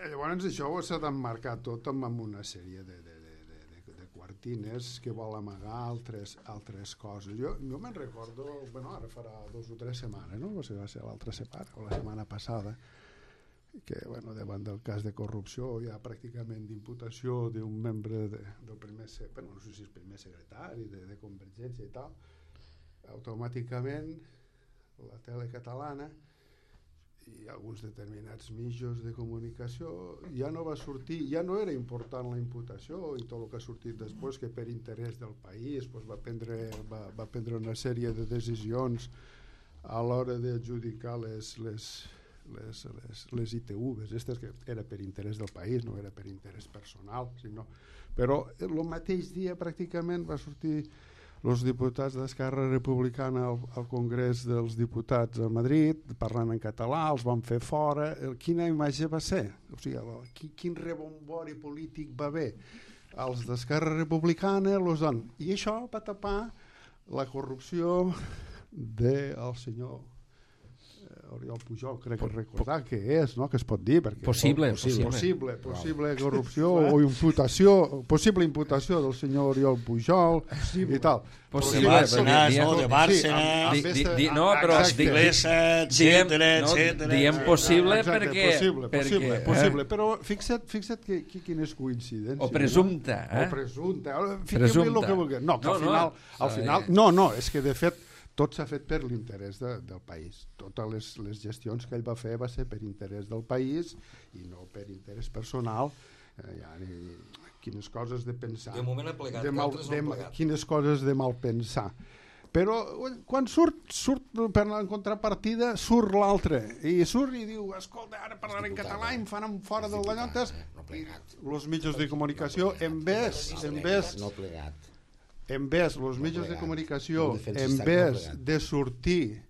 Llavors això s'ha d'emmarcar tot amb una sèrie de quartines que vol amagar altres coses. Jo me'n recordo, ara farà 2 o 3 setmanes, no? Va ser l'altra setmana, o la setmana passada, que davant del cas de corrupció hi ha pràcticament d'imputació d'un membre del primer, no sé si és primer secretari de Convergència i tal, automàticament la tele catalana i alguns determinats mitjans de comunicació ja no va sortir, ja no era important la imputació i tot el que ha sortit després, que per interès del país va prendre una sèrie de decisions a l'hora d'adjudicar les ITVs, aquestes que era per interès del país, no era per interès personal, sinó... Però el mateix dia pràcticament va sortir els diputats d'Esquerra Republicana al Congrés dels Diputats a Madrid, parlant en català, els van fer fora. Quina imatge va ser? O sigui, quin rebombori polític va haver? Els d'Esquerra Republicana i això va tapar la corrupció del senyor Oriol Pujol, crec que recordar que és, no? Que es pot dir, perquè possible corrupció o imputació, possible imputació del senyor Oriol Pujol i tal. De Bárcenas, no, però diem possible perquè... Possible, però fixa't quines coincidències. O presumpte. O presumpte. Fiquem-li el que vulguem. No, que al final... No, és que de fet tot s'ha fet per l'interès del país. Totes les gestions que ell va fer va ser per interès del país i no per interès personal. Quines coses de pensar. De moment ha plegat, quines coses de mal pensar. Però quan surt per la contrapartida, surt l'altre. I surt i diu, escolta, ara parlaré en català i em fan fora del Dallontes. Els mitjans de comunicació, en vez els mitjans de comunicació, en vez de sortir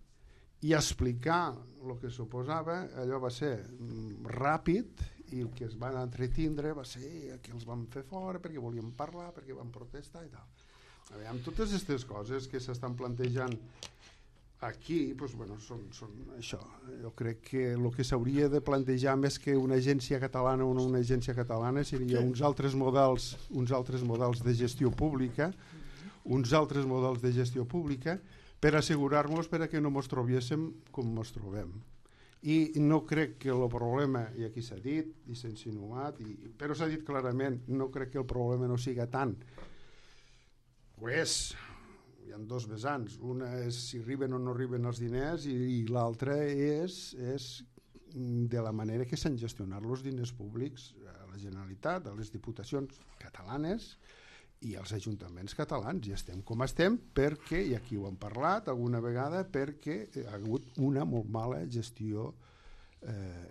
i explicar el que suposava, allò va ser ràpid i el que es van entretindre va ser que els van fer fora perquè volien parlar, perquè van protestar i tal. Amb totes aquestes coses que s'estan plantejant aquí, doncs, bueno, són això. Jo crec que el que s'hauria de plantejar més que una agència catalana o no una agència catalana seria uns altres models de gestió pública, per assegurar-nos que no ens trobéssim com ens trobem. I no crec que el problema, i aquí s'ha dit i s'ha insinuat, però s'ha dit clarament, no crec que el problema no siga tant. Hi ha dos vessants. Una és si arriben o no arriben els diners i l'altra és de la manera que s'han gestionat els diners públics a la Generalitat, a les diputacions catalanes i als ajuntaments catalans. I estem com estem perquè, i aquí ho hem parlat alguna vegada, perquè hi ha hagut una molt mala gestió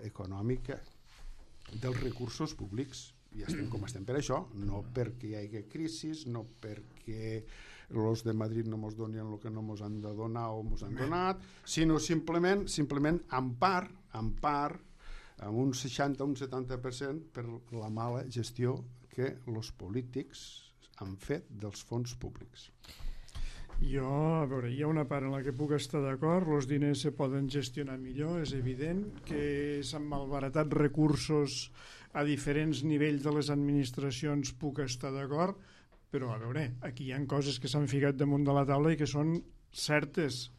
econòmica dels recursos públics. I estem com estem per això, no perquè hi hagi crisis, no perquè els de Madrid no ens donin el que no ens han de donar o ens han donat, sinó simplement en part, amb un 60 o un 70% per la mala gestió que els polítics han fet dels fons públics. Jo, a veure, hi ha una part en la que puc estar d'acord, els diners se poden gestionar millor, és evident que s'han malbaratat recursos a diferents nivells de les administracions, puc estar d'acord, però a veure, aquí hi ha coses que s'han ficat damunt de la taula i que són certes.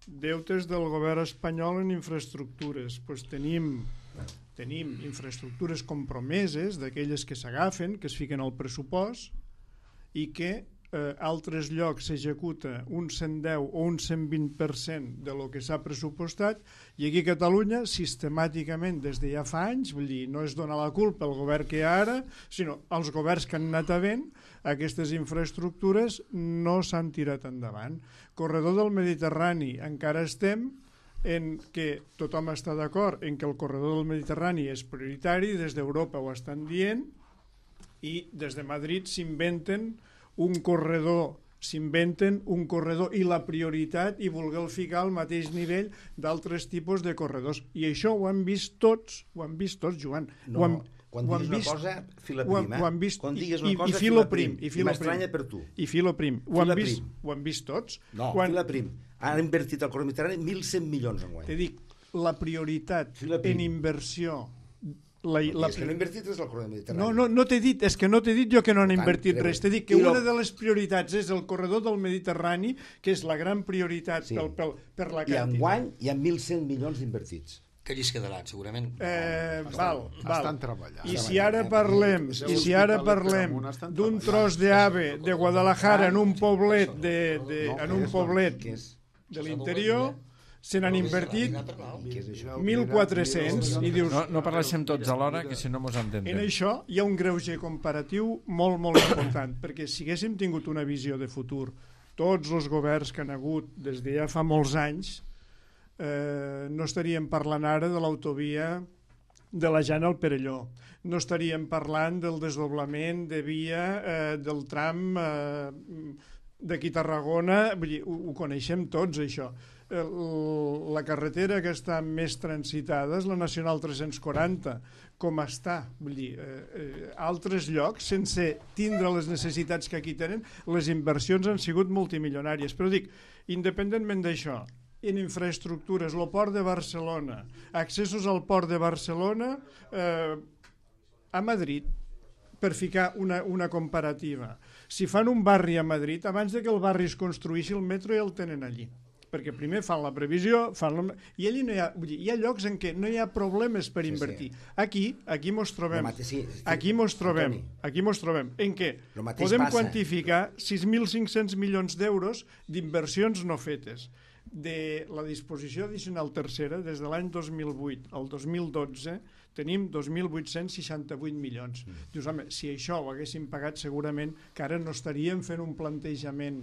Deutes del govern espanyol en infraestructures, doncs tenim infraestructures compromeses, d'aquelles que s'agafen, que es fiquen al pressupost i que altres llocs s'executa un 110 o un 120% de lo que s'ha pressupostat, i aquí a Catalunya sistemàticament des de ja fa anys, vull dir, no es dona la culpa al govern que hi ha ara, sinó als governs que han anat havent, aquestes infraestructures no s'han tirat endavant. Corredor del Mediterrani, encara estem en què tothom està d'acord en que el corredor del Mediterrani és prioritari, des d'Europa ho estan dient, i des de Madrid s'inventen un corredor i la prioritat i voler ficar al mateix nivell d'altres tipus de corredors. I això ho han vist tots, Joan. No, quan diguis una cosa, fila prim. Quan diguis una cosa, fila prim. I m'estranya per tu. I fila prim. Ho han vist tots. No, fila prim. Han invertit al corredor mediterrani 1.100 milions enguany. Te dic, la prioritat en inversió... És que no han invertit res al corredor mediterrani. No t'he dit, és que no t'he dit jo que no han invertit res. T'he dit que una de les prioritats és el corredor del Mediterrani, que és la gran prioritat per la quantitat. I enguany hi ha 1.100 milions invertits. Que allí es quedaran, segurament. Val. Estan treballant. I si ara parlem d'un tros d'AVE de Guadalajara en un poblet de l'interior, se n'han invertit 1.400 i dius... No parlem tots alhora, que si no mos entendem. En això hi ha un greuge comparatiu molt, molt important, perquè si haguéssim tingut una visió de futur, tots els governs que han hagut des de ja fa molts anys, no estaríem parlant ara de l'autovia de la Jana al Perelló, no estaríem parlant del desdoblament de via del tram d'aquí a Tarragona, vull dir, ho coneixem tots, això. La carretera que està més transitada és la Nacional 340, com està, vull dir, altres llocs, sense tindre les necessitats que aquí tenen, les inversions han sigut multimilionàries. Però dic, independentment d'això, en infraestructures, el port de Barcelona, accessos al port de Barcelona a Madrid, per ficar una comparativa. Si fan un barri a Madrid, abans de que el barri es construïssi, el metro ja el tenen allí. Perquè primer fan la previsió, i allí no hi ha, vull dir, hi ha llocs en què no hi ha problemes per invertir. Aquí mos trobem, aquí mos trobem, en què podem quantificar 6.500 milions d'euros d'inversions no fetes. De la disposició addicional tercera, des de l'any 2008 al 2012, tenim 2.868 milions. Dius, home, si això ho haguéssim pagat, segurament que ara no estaríem fent un plantejament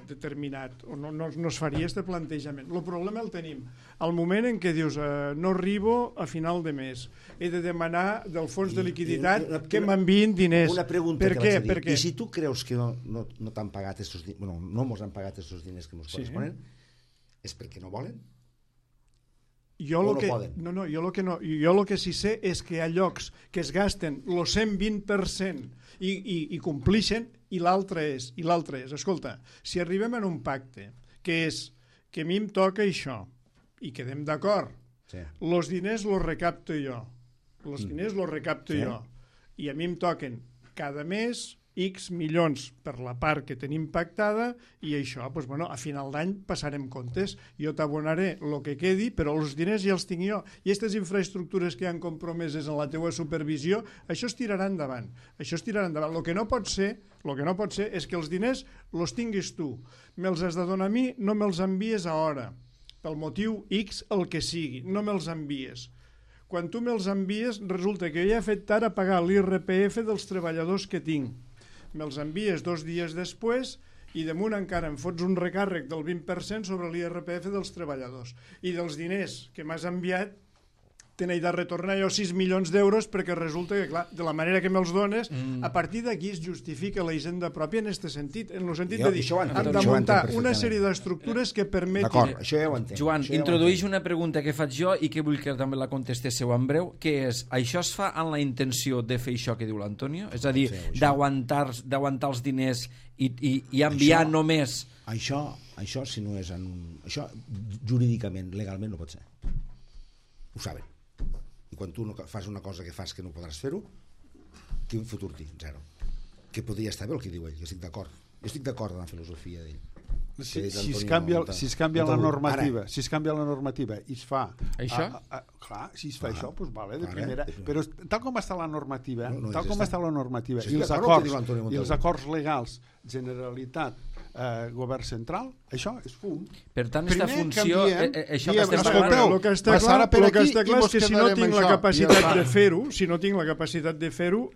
determinat, o no es faria aquest plantejament. El problema el tenim al moment en què dius no arribo a final de mes, he de demanar del fons de liquiditat que m'enviïn diners. Una pregunta per què? Per què? I si tu creus que no t'han pagat estos diners, bueno, no mos han pagat estos diners que mos corresponen, és perquè no volen? Jo el que sí sé és que hi ha llocs que es gasten el 120% i complixen, i l'altre és, escolta, si arribem a un pacte que és que a mi em toca això i quedem d'acord, els diners els recapto jo, i a mi em toquen cada mes X milions per la part que tenim pactada, i això, doncs, bueno, a final d'any passarem comptes, jo t'abonaré el que quedi, però els diners ja els tinc jo, i aquestes infraestructures que han compromeses en la teua supervisió, això es tirarà endavant. El que no pot ser és que els diners els tinguis tu, me'ls has de donar a mi, no me'ls envies a hora, pel motiu X, el que sigui, no me'ls envies. Quan tu me'ls envies, resulta que jo ja he fet tard a pagar l'IRPF dels treballadors que tinc. Me'ls envies 2 dies després i damunt encara em fots un recàrrec del 20% sobre l'IRPF dels treballadors. I dels diners que m'has enviat te n'he de retornar jo 6 milions d'euros, perquè resulta que, clar, de la manera que me'ls dones, a partir d'aquí es justifica la hisenda pròpia en aquest sentit, en el sentit de dir, hem de muntar una sèrie d'estructures que permetin... D'acord, això ja ho entenc. Joan, introdueix una pregunta que faig jo i que vull que també la contestéssiu en breu, que és, això es fa amb la intenció de fer això que diu l'Antonio? És a dir, d'aguantar els diners i enviar només... Això, si no és en un... Això, jurídicament, legalment, no pot ser. Ho saben. I quan tu no fas una cosa que fas que no podràs fer-ho, quin futur tinc? Zero. Que podria estar bé el que diu ell, jo estic d'acord. Jo estic d'acord amb la filosofia d'ell. Si es canvia la normativa, i es fa... Això? Clar, si es fa això, doncs vale, de primera. Però tal com està la normativa, i els acords legals, Generalitat, govern central, això és fum. Per tant, aquesta funció... El que està clar és que si no tinc la capacitat de fer-ho,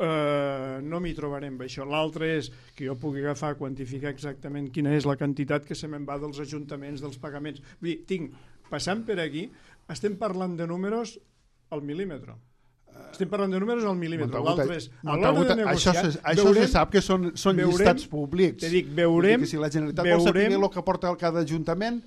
no m'hi trobarem amb això. L'altre és que jo pugui agafar, quantificar exactament quina és la quantitat que se me'n va dels ajuntaments, dels pagaments. Vull dir, passant per aquí, estem parlant de números al mil·límetre. L'altre és, a l'hora de negociar... Això se sap que són llistats públics. Te dic, veurem... Si la Generalitat vol saber el que porta cada ajuntament,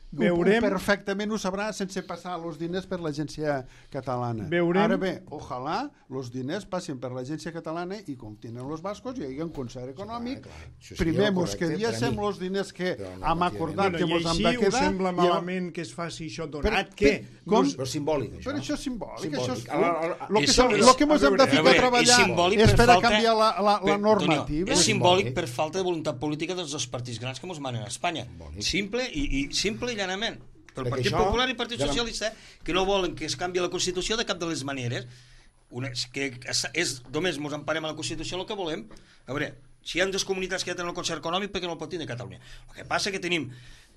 perfectament ho sabrà sense passar els diners per l'agència catalana. Ara bé, ojalà els diners passin per l'agència catalana i com tenen els bascos hi hagi un concert econòmic. Primer mos quediéssim els diners que hem acordat que mos han de quedar. I així us sembla malament que es faci això donat que... Però simbòlic, això. Però això és simbòlic. El que mos hem de ficar a treballar és per a canviar la normativa. És simbòlic per falta de voluntat política dels dos partits grans que mos manen a Espanya. Simple i llanament. El Partit Popular i el Partit Socialista, que no volen que es canvi la Constitució de cap de les maneres, que només ens emparem a la Constitució el que volem. A veure, si hi ha dues comunitats que ja tenen el concert econòmic, perquè no el pot tenir Catalunya? El que passa que tenim,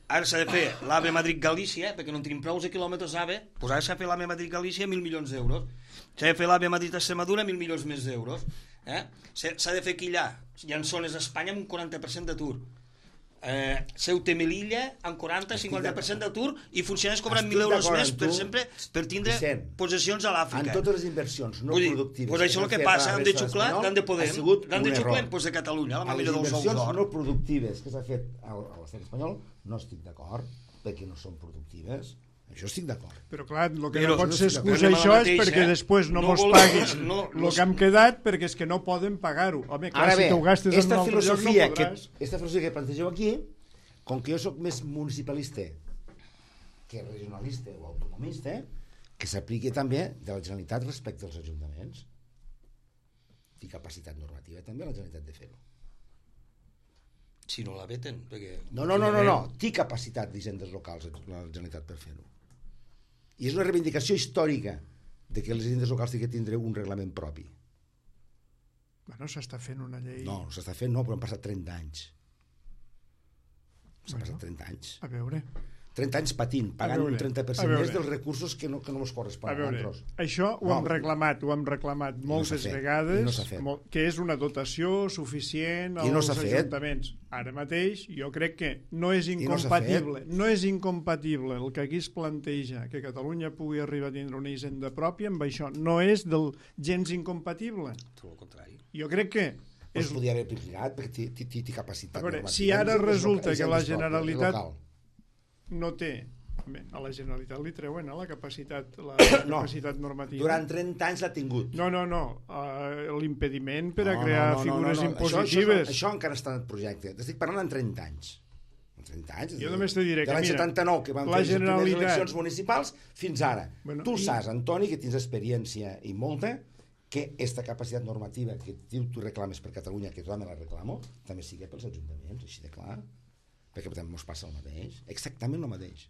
ara s'ha de fer l'AVE Madrid-Galícia, perquè no tenim prou de quilòmetres AVE, doncs ara s'ha de fer l'AVE Madrid-Galícia 1.000 milions d'euros. S'ha de fer l'AVE Madrid-Extremadura 1.000 milions més d'euros. S'ha de fer aquí allà, hi ha zones d'Espanya amb un 40% d'atur. Ceuta i Melilla amb 40-50% d'atur i funcionaris cobrant Estic 1.000 euros d'acord més amb per tu, sempre per tindre Vicent. possessions a l'Àfrica. En totes les inversions no productives... Pues això és el que passa, han de xuclar, l'han de Podem, l'han de xuclar pues, de Catalunya, la a les mamella dels ous inversions d'or. no productives que s'ha fet a l'estat espanyol no estic d'acord, perquè no són productives. Això estic d'acord. Però clar, el que Però no pot ser no excusa anem a la això és mateixa, perquè després no no mos vol- paguis no, el que hem quedat perquè és que no poden pagar-ho. Home, clar, Ara bé, si t'ho gastes en un esta altre lloc no filosofia podràs. que plantegeu aquí, com que jo sóc més municipalista que regionalista o autonomista, que s'apliqui també de la Generalitat respecte als ajuntaments. I capacitat normativa també la Generalitat de fer-ho. Si no la veten, perquè... No. Té capacitat d'hisendes locals la Generalitat per fer-ho. I és una reivindicació històrica de que les hisendes locals tenen que tindre un reglament propi. Bueno, s'està fent una llei... No s'està fent, no, però han passat 30 anys. S'han passat 30 anys. A veure... 30 anys patint, pagant un 30% més dels recursos que no ens corresponen a nosaltres. Això ho hem reclamat moltes vegades, no s'ha fet. Que és una dotació suficient als ajuntaments. Ara mateix jo crec que no és incompatible, el que aquí es planteja, que Catalunya pugui arribar a tindre una hisenda pròpia, amb això no és gens incompatible. Tot el contrari. Jo crec que es podria haver aplicat perquè té capacitat normativa. Si ara resulta que la Generalitat no té... A la Generalitat li treuen la capacitat normativa. Durant 30 anys l'ha tingut. No. L'impediment per a crear figures impositives. Això encara està en el projecte. T'estic parlant en 30 anys. En 30 anys. Jo només te diré que, mira... De l'any 79, que van fer les primeres eleccions municipals, fins ara. Tu saps, Antoni, que tens experiència i molta, que aquesta capacitat normativa que tu reclames per Catalunya, que tothom la reclamo, també sigui pels ajuntaments, així de clar. Perquè també ens passa el mateix, exactament el mateix.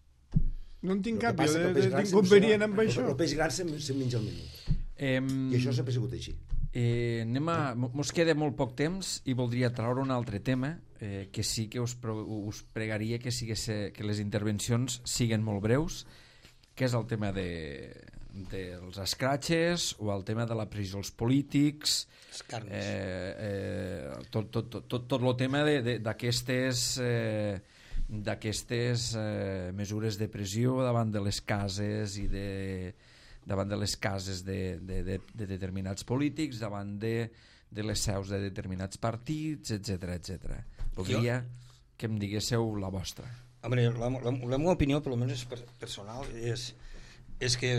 No en tinc cap d'inconvenient amb això. El peix gran se'n menja el menut. I això sempre ha sigut així. Mos queda molt poc temps i voldria traure un altre tema que sí que us pregaria que les intervencions siguen molt breus, que és el tema dels escratxes o el tema de la pressió als polítics, tot el tema d'aquestes mesures de pressió davant de les cases i davant de les cases de determinats polítics, davant de les seus de determinats partits, etc. Voldria que em diguéssiu la vostra. La meva opinió, per almenys personal, és que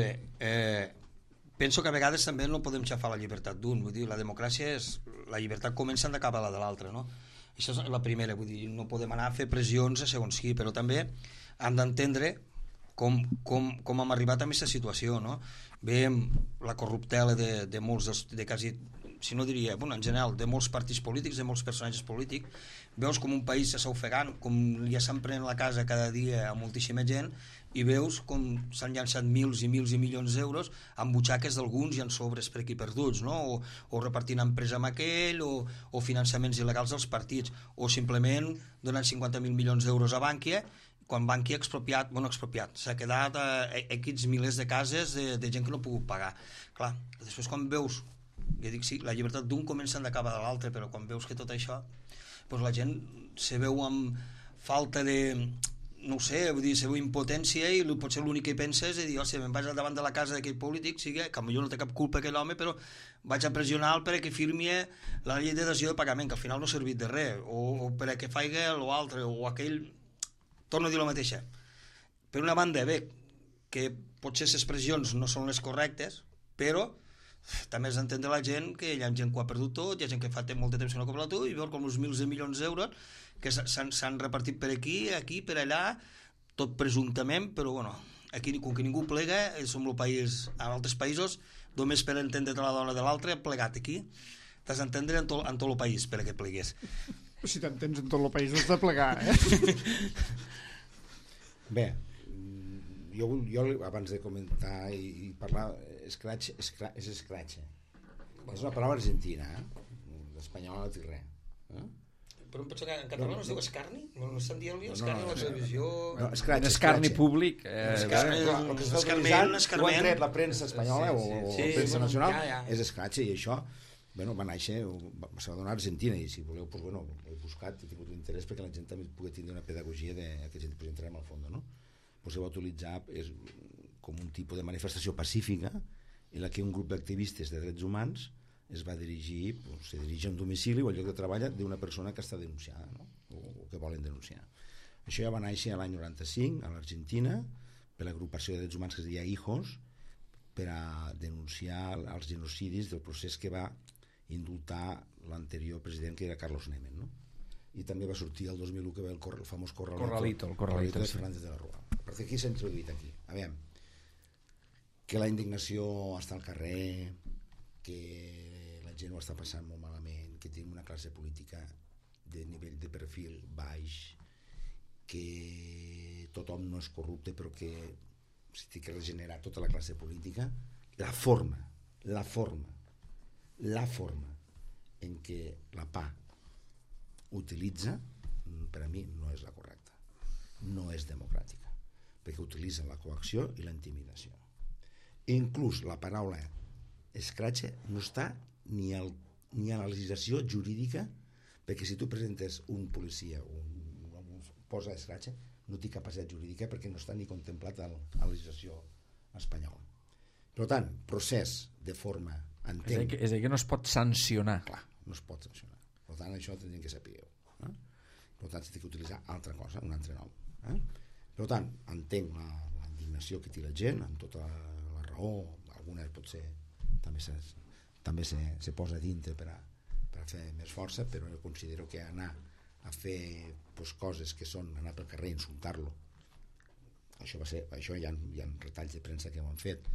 penso que a vegades també no podem xafar la llibertat d'un. Vull dir, la democràcia la llibertat comença en d'acabar la de l'altra, no? Això és la primera, vull dir, no podem anar a fer pressions a segons qui, però també hem d'entendre com hem arribat a aquesta situació, no? Veiem la corruptela de molts, de quasi, si no diria, en general, de molts partits polítics, de molts personatges polítics, veus com un país s'està ofegant, com li s'empren la casa cada dia a moltíssima gent, i veus com s'han llançat mils i milions d'euros en butxaques d'alguns i en sobres per aquí perduts, no? O repartint empresa amb aquell, o finançaments il·legals dels partits, o simplement donant 50.000 milions d'euros a Bankia, quan Bankia ha expropiat, s'ha quedat X milers de cases de gent que no ha pogut pagar. Clar, després quan veus, jo dic sí, la llibertat d'un comença en d'acabar de l'altre, però quan veus que tot això, doncs la gent se veu amb falta de... no ho sé, vull dir, se veu impotència i potser l'únic que pensa és dir, si me'n vaig al davant de la casa d'aquell polític, sigui que potser no té cap culpa aquell home, però vaig a pressionar perquè firmi la llei de dació de pagament, que al final no ha servit de res, o perquè faci l'altre, o aquell... Torno a dir la mateixa. Per una banda, bé, que potser les pressions no són les correctes, però també has d'entendre la gent que hi ha gent que ho ha perdut tot, hi ha gent que fa molt de temps que no ha cobrat tot, i veus com uns mils de milions d'euros que s'han repartit per aquí, per allà, tot presumptament, però bueno, aquí com que ningú plega, som el país, en altres països, només per entendre la dona de l'altre, plegat aquí, t'has d'entendre en tot el país per a que plegués. Si t'entens en tot el país, has de plegar, Bé, jo abans de comentar i parlar, scratch és scratch. És una paraula argentina, l'espanyol no té res. Però em penso que en català no es diu escarni? No estan dient-li escarni a la televisió? Escarni públic. Escarment. Ho han tret la premsa espanyola o la premsa nacional, és escratx, i això Bueno, va néixer, se va donar a Argentina, i si voleu, pues, bueno, he buscat, he tingut un interès perquè la gent també pugui tindre una pedagogia que gent pues, entrarem al fons, no? Pues, se va utilitzar com un tipus de manifestació pacífica en la que un grup d'activistes de drets humans es va dirigir, pues, se dirige a un domicili o al lloc de treball d'una persona que està denunciada, no? o que volen denunciar. Això ja va néixer l'any 95 a l'Argentina per l'agrupació de drets humans que es deia HIJOS, per a denunciar els genocidis del procés que va indultar l'anterior president, que era Carlos Menem, no? I també va sortir el 2001 que va el famós Corralito de Fernández de la Rúa. Per què s'ha introduït aquí? A veure, que la indignació està al carrer, que la gent ho està passant molt malament, que tenim una classe política de nivell de perfil baix, que tothom no és corrupte, però que s'ha de regenerar tota la classe política. La forma en què la PA utilitza, per a mi no és la correcta, no és democràtica, perquè utilitza la coacció i la intimidació. Inclús la paraula escratxe no està ni a la legislació jurídica, perquè si tu presentes un policia posa escratxe, no té capacitat jurídica perquè no està ni contemplat a la legislació espanyola. Per tant, procés de forma entenc... És a dir, que no es pot sancionar. Clar, no es pot sancionar. Per tant, això tindríem que saber. Per tant, s'ha d'utilitzar altra cosa, un altre nom. Per tant, entenc la indignació que té la gent, amb tota la raó, algunes potser també se posa dintre per a fer més força, però jo considero que anar a fer coses que són anar pel carrer i insultar-lo, això hi ha retalls de premsa que ho han fet,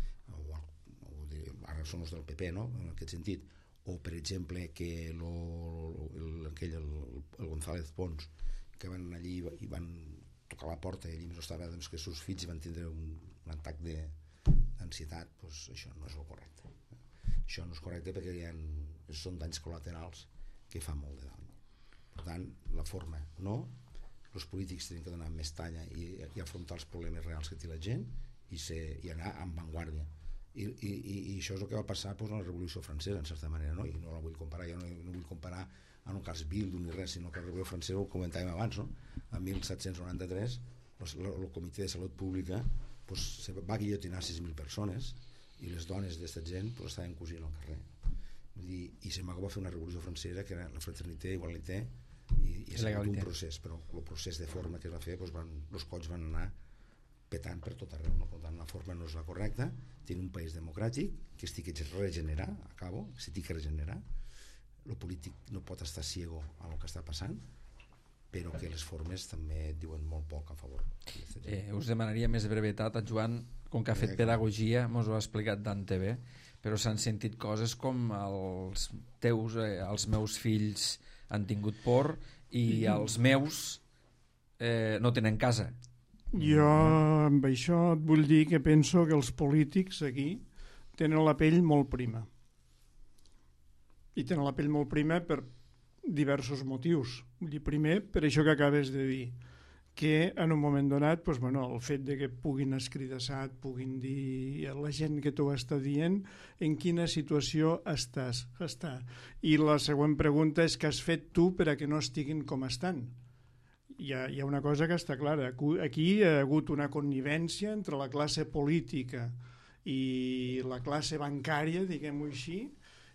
ara són els del PP, no? En aquest sentit, o per exemple que el González Pons, que van allí i van tocar la porta i allí no estava, doncs, que els seus fills van tindre un atac d'ansietat, doncs això no és el correcte. Això no és correcte perquè són danys col·laterals que fan molt de dany. Per tant, la forma no, els polítics tenen que donar més talla i afrontar els problemes reals que té la gent i anar amb vanguardia. I això és el que va passar a la Revolució Francesa, en certa manera, no? I no la vull comparar, jo no vull comparar en un cas Bildu ni res, sinó que la Revolució Francesa, ho comentàvem abans, no? En 1793 el Comitè de Salut Pública va guillotinar 6.000 persones i les dones d'aquesta gent estaven cosint al carrer. I se va fer una Revolució Francesa que era la fraternitat, igualité i ha sigut un procés, però el procés de forma que es va fer, els cops van anar petant per tot arreu, no? Per tant, la forma no és la correcta. Tenim un país democràtic que es té que regenerar, s'ha de regenerar. El polític no pot estar ciego a el que està passant, però que les formes també diuen molt poc a favor. Us demanaria més brevetat a Joan, com que ha fet pedagogia, mos ho ha explicat Dante bé, però s'han sentit coses com els meus fills han tingut por i els meus no tenen casa. Jo amb això et vull dir que penso que els polítics aquí tenen la pell molt prima. I tenen la pell molt prima per diversos motius. Vull dir, primer, per això que acabes de dir, que en un moment donat el fet de que puguin escridassar, puguin dir a la gent que t'ho està dient en quina situació està. I la següent pregunta és què has fet tu per a que no estiguin com estan. Hi ha una cosa que està clara. Aquí hi ha hagut una connivència entre la classe política i la classe bancària, diguem-ho així,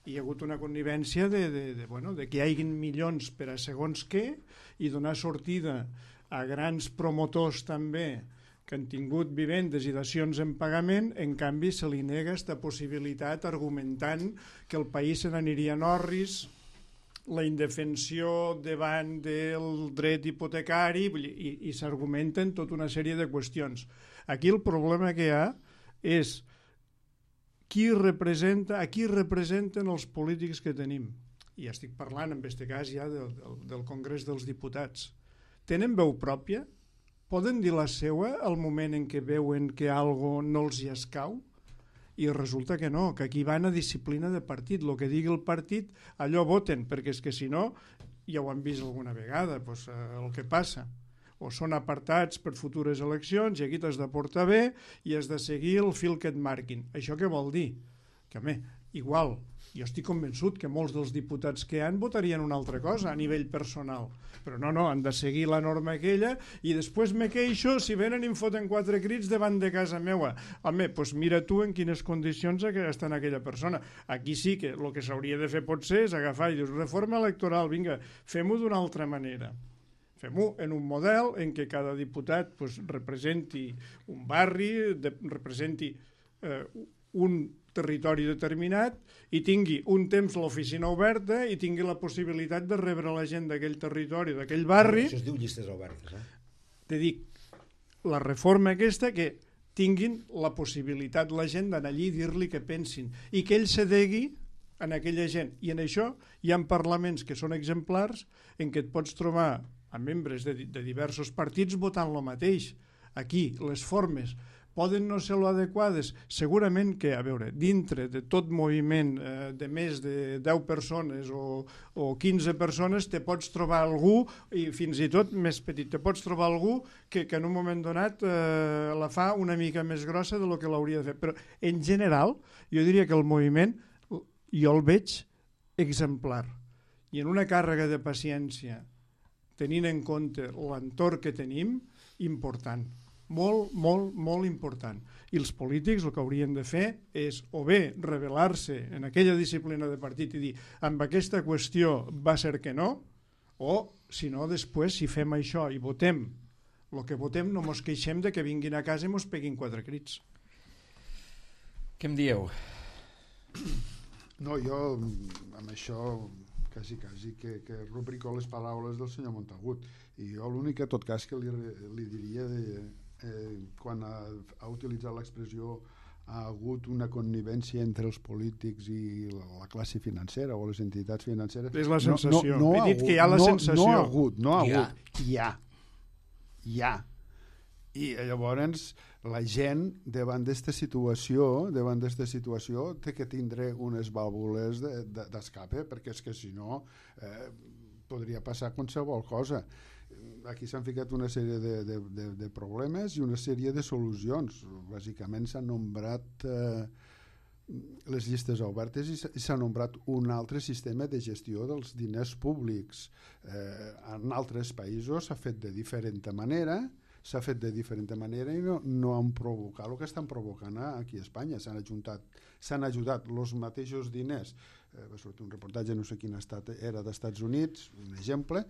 hi ha hagut una connivència de que hi hagin milions per a segons què i donar sortida a grans promotors també que han tingut vivendes i dacions en pagament. En canvi se li nega aquesta possibilitat argumentant que el país se n'aniria en orris, la indefensió davant del dret hipotecari, i s'argumenten tota una sèrie de qüestions. Aquí el problema que hi ha és a qui representen els polítics que tenim. I ja estic parlant, en aquest cas, ja del Congrés dels Diputats. Tenen veu pròpia? Poden dir la seua al moment en què veuen que algo no els hi escau? I resulta que no, que aquí van a disciplina de partit. El que digui el partit, allò voten, perquè és que si no, ja ho han vist alguna vegada, el que passa. O són apartats per futures eleccions i aquí t'has de portar bé i has de seguir el fil que et marquin. Això què vol dir? Que, igual, Jo estic convençut que molts dels diputats que votarien una altra cosa a nivell personal, però no, han de seguir la norma aquella i després me queixo si venen i em foten 4 crits davant de casa meua. Home, doncs mira tu en quines condicions està aquella persona. Aquí sí que el que s'hauria de fer potser és agafar i dius reforma electoral, vinga, fem-ho d'una altra manera. Fem-ho en un model en què cada diputat representi un barri, representi un territori determinat i tingui un temps l'oficina oberta i tingui la possibilitat de rebre la gent d'aquell territori, d'aquell barri. Això es diu llistes obertes. Te dic, la reforma aquesta que tinguin la possibilitat la gent d'anar allí i dir-li què pensin i que ell s'adegui en aquella gent. I en això hi ha parlaments que són exemplars en què et pots trobar a membres de diversos partits votant el mateix. Aquí, les formes poden no ser lo adequades, segurament que, a veure, dintre de tot moviment de més de 10 persones o 15 persones te pots trobar algú, i fins i tot més petit, te pots trobar algú que en un moment donat la fa una mica més grossa de lo que l'hauria de fer. Però en general, jo diria que el moviment jo el veig exemplar. I en una càrrega de paciència, tenint en compte l'entorn que tenim, important. Molt, molt, molt important. I els polítics el que haurien de fer és o bé revelar-se en aquella disciplina de partit i dir amb aquesta qüestió va ser que no, o si no després si fem això i votem el que votem no mos queixem de que vinguin a casa i mos peguin 4 crits. Què em dieu? No, jo amb això quasi que rubrico les paraules del senyor Montagut, i jo l'únic en tot cas que li diria quan ha utilitzat l'expressió ha hagut una connivència entre els polítics i la classe financera o les entitats financeres. És la sensació. He dit que hi ha la sensació. No ha hagut. Hi ha. I llavors la gent davant d'esta situació té que tindre unes vàlvules d'escape, perquè és que si no podria passar qualsevol cosa. Aquí s'han ficat una sèrie de problemes i una sèrie de solucions. Bàsicament s'han nombrat les llistes obertes i s'ha nombrat un altre sistema de gestió dels diners públics. En altres països s'ha fet de diferent manera i no han provocat el que estan provocant aquí a Espanya. S'han ajudat els mateixos diners. Va sortir un reportatge, no sé quin estat era, d'Estats Units, un exemple,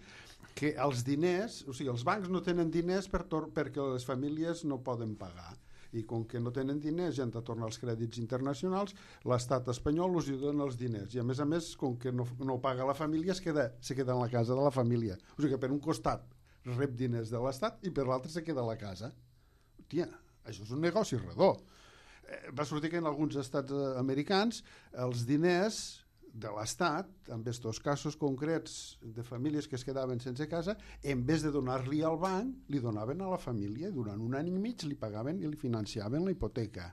que els diners, o sigui, els bancs no tenen diners perquè les famílies no poden pagar. I com que no tenen diners i han de tornar els crèdits internacionals, l'estat espanyol els dona els diners. I a més, com que no paga la família, se queda en la casa de la família. O sigui que per un costat rep diners de l'estat i per l'altre se queda a la casa. Hòstia, això és un negoci redó. Va sortir que en alguns estats americans els diners de l'Estat, en aquests casos concrets de famílies que es quedaven sense casa, en vez de donar-li al banc, li donaven a la família. Durant un any i mig li pagaven i li financiaven la hipoteca.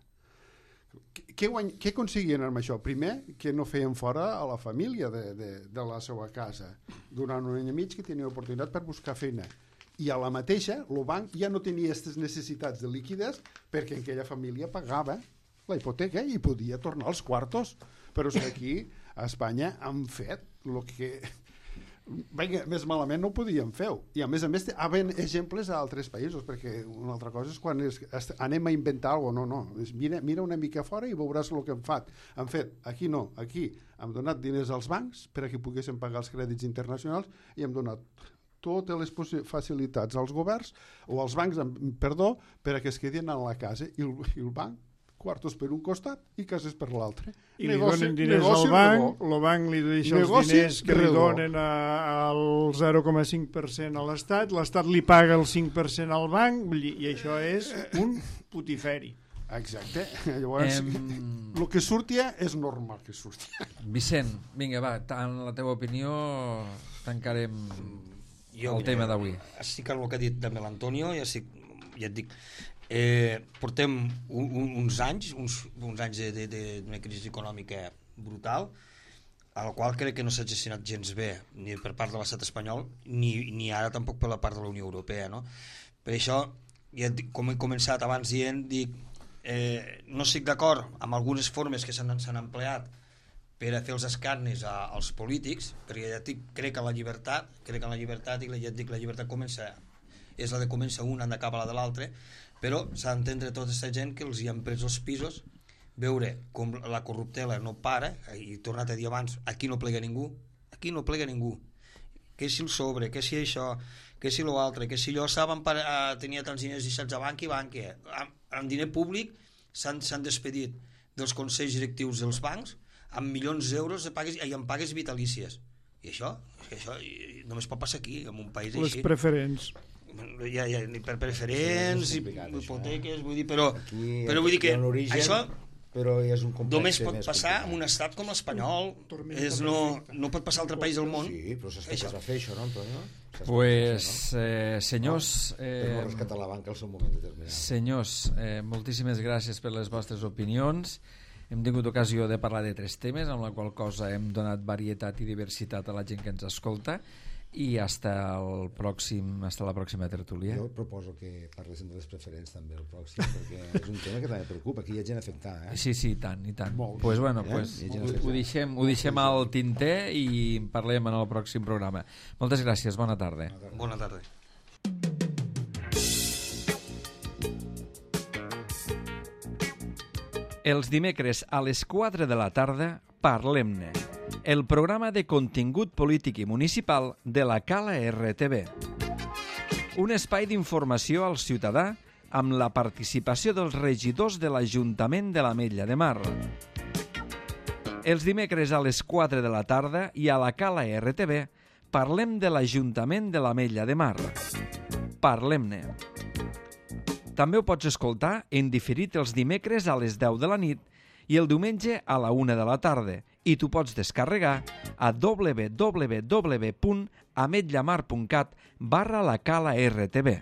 Què aconseguien amb això? Primer, que no feien fora a la família de la seva casa. Durant un any i mig que tenia oportunitat per buscar feina. I a la mateixa, el banc ja no tenia aquestes necessitats de liquiditat perquè aquella família pagava la hipoteca i podia tornar els quartos. Però és que aquí a Espanya han fet el que vinga, més malament no ho podíem fer. I a més hi ha exemples a altres països, perquè una altra cosa és quan anem a inventar alguna cosa. No. Mira una mica fora i veuràs el que han fet. Aquí no, aquí hem donat diners als bancs perquè poguessin pagar els crèdits internacionals i hem donat totes les facilitats als governs o als bancs, perquè es quedin a la casa i el banc quartos per un costat i cases per l'altre. I li donen diners al banc, el banc li deixa els diners que li donen al 0,5% a l'Estat li paga el 5% al banc, i això és un putiferi. Exacte. Llavors, el que surtia és normal que surtia. Vicent, vinga, va, en la teva opinió tancarem el tema d'avui. Estic amb el que ha dit també l'Antonio, ja et dic, portem uns anys d'una crisi econòmica brutal, a la qual crec que no s'ha gestionat gens bé ni per part de l'estat espanyol ni ara tampoc per la part de la Unió Europea, no? Per això, com he començat abans dient, no estic d'acord amb algunes formes que s'han empleat per a fer els escarnis als polítics, perquè ja crec en la llibertat i ja et dic, la llibertat és la de comença un, han d'acabar la de l'altre, però s'ha d'entendre tota aquesta gent que els hi han pres els pisos, veure com la corruptela no para, i he tornat a dir abans, aquí no plega ningú, que si el sobre, que si això, que si l'altre, que si allò saben tenia tants diners deixats a banca, amb diner públic s'han despedit dels consells directius dels bancs amb milions d'euros en pagues vitalícies. I això només pot passar aquí, en un país les així. Preferents. Ja, per preferents i hipoteques, vull dir, però vull dir que això però és un només pot passar en un estat com l'espanyol, no pot passar a altre país del món. Sí, però saps què es va fer això, no, Antonio? Pues, senyors... Per rescatar la banca al seu moment determinat. Senyors, moltíssimes gràcies per les vostres opinions. Hem tingut ocasió de parlar de 3 temes, amb la qual cosa hem donat varietat i diversitat a la gent que ens escolta, i hasta la pròxima tertúlia. Jo proposo que parléssim de les preferents també el pròxim, perquè és un tema que també preocupa, aquí hi ha gent afectada. Sí, i tant. Pues bueno, ho deixem al tinter i parlem en el pròxim programa. Moltes gràcies, bona tarda. Bona tarda. Els dimecres a les 4 de la tarda, Parlem-ne, el programa de contingut polític i municipal de la Cala RTV. Un espai d'informació al ciutadà amb la participació dels regidors de l'Ajuntament de l'Ametlla de Mar. Els dimecres a les 4 de la tarda i a la Cala RTV parlem de l'Ajuntament de l'Ametlla de Mar. Parlem-ne. També ho pots escoltar en diferit els dimecres a les 10 de la nit i el diumenge a la 1 de la tarda, i tu pots descarregar a www.ametllamar.cat/la Cala RTV.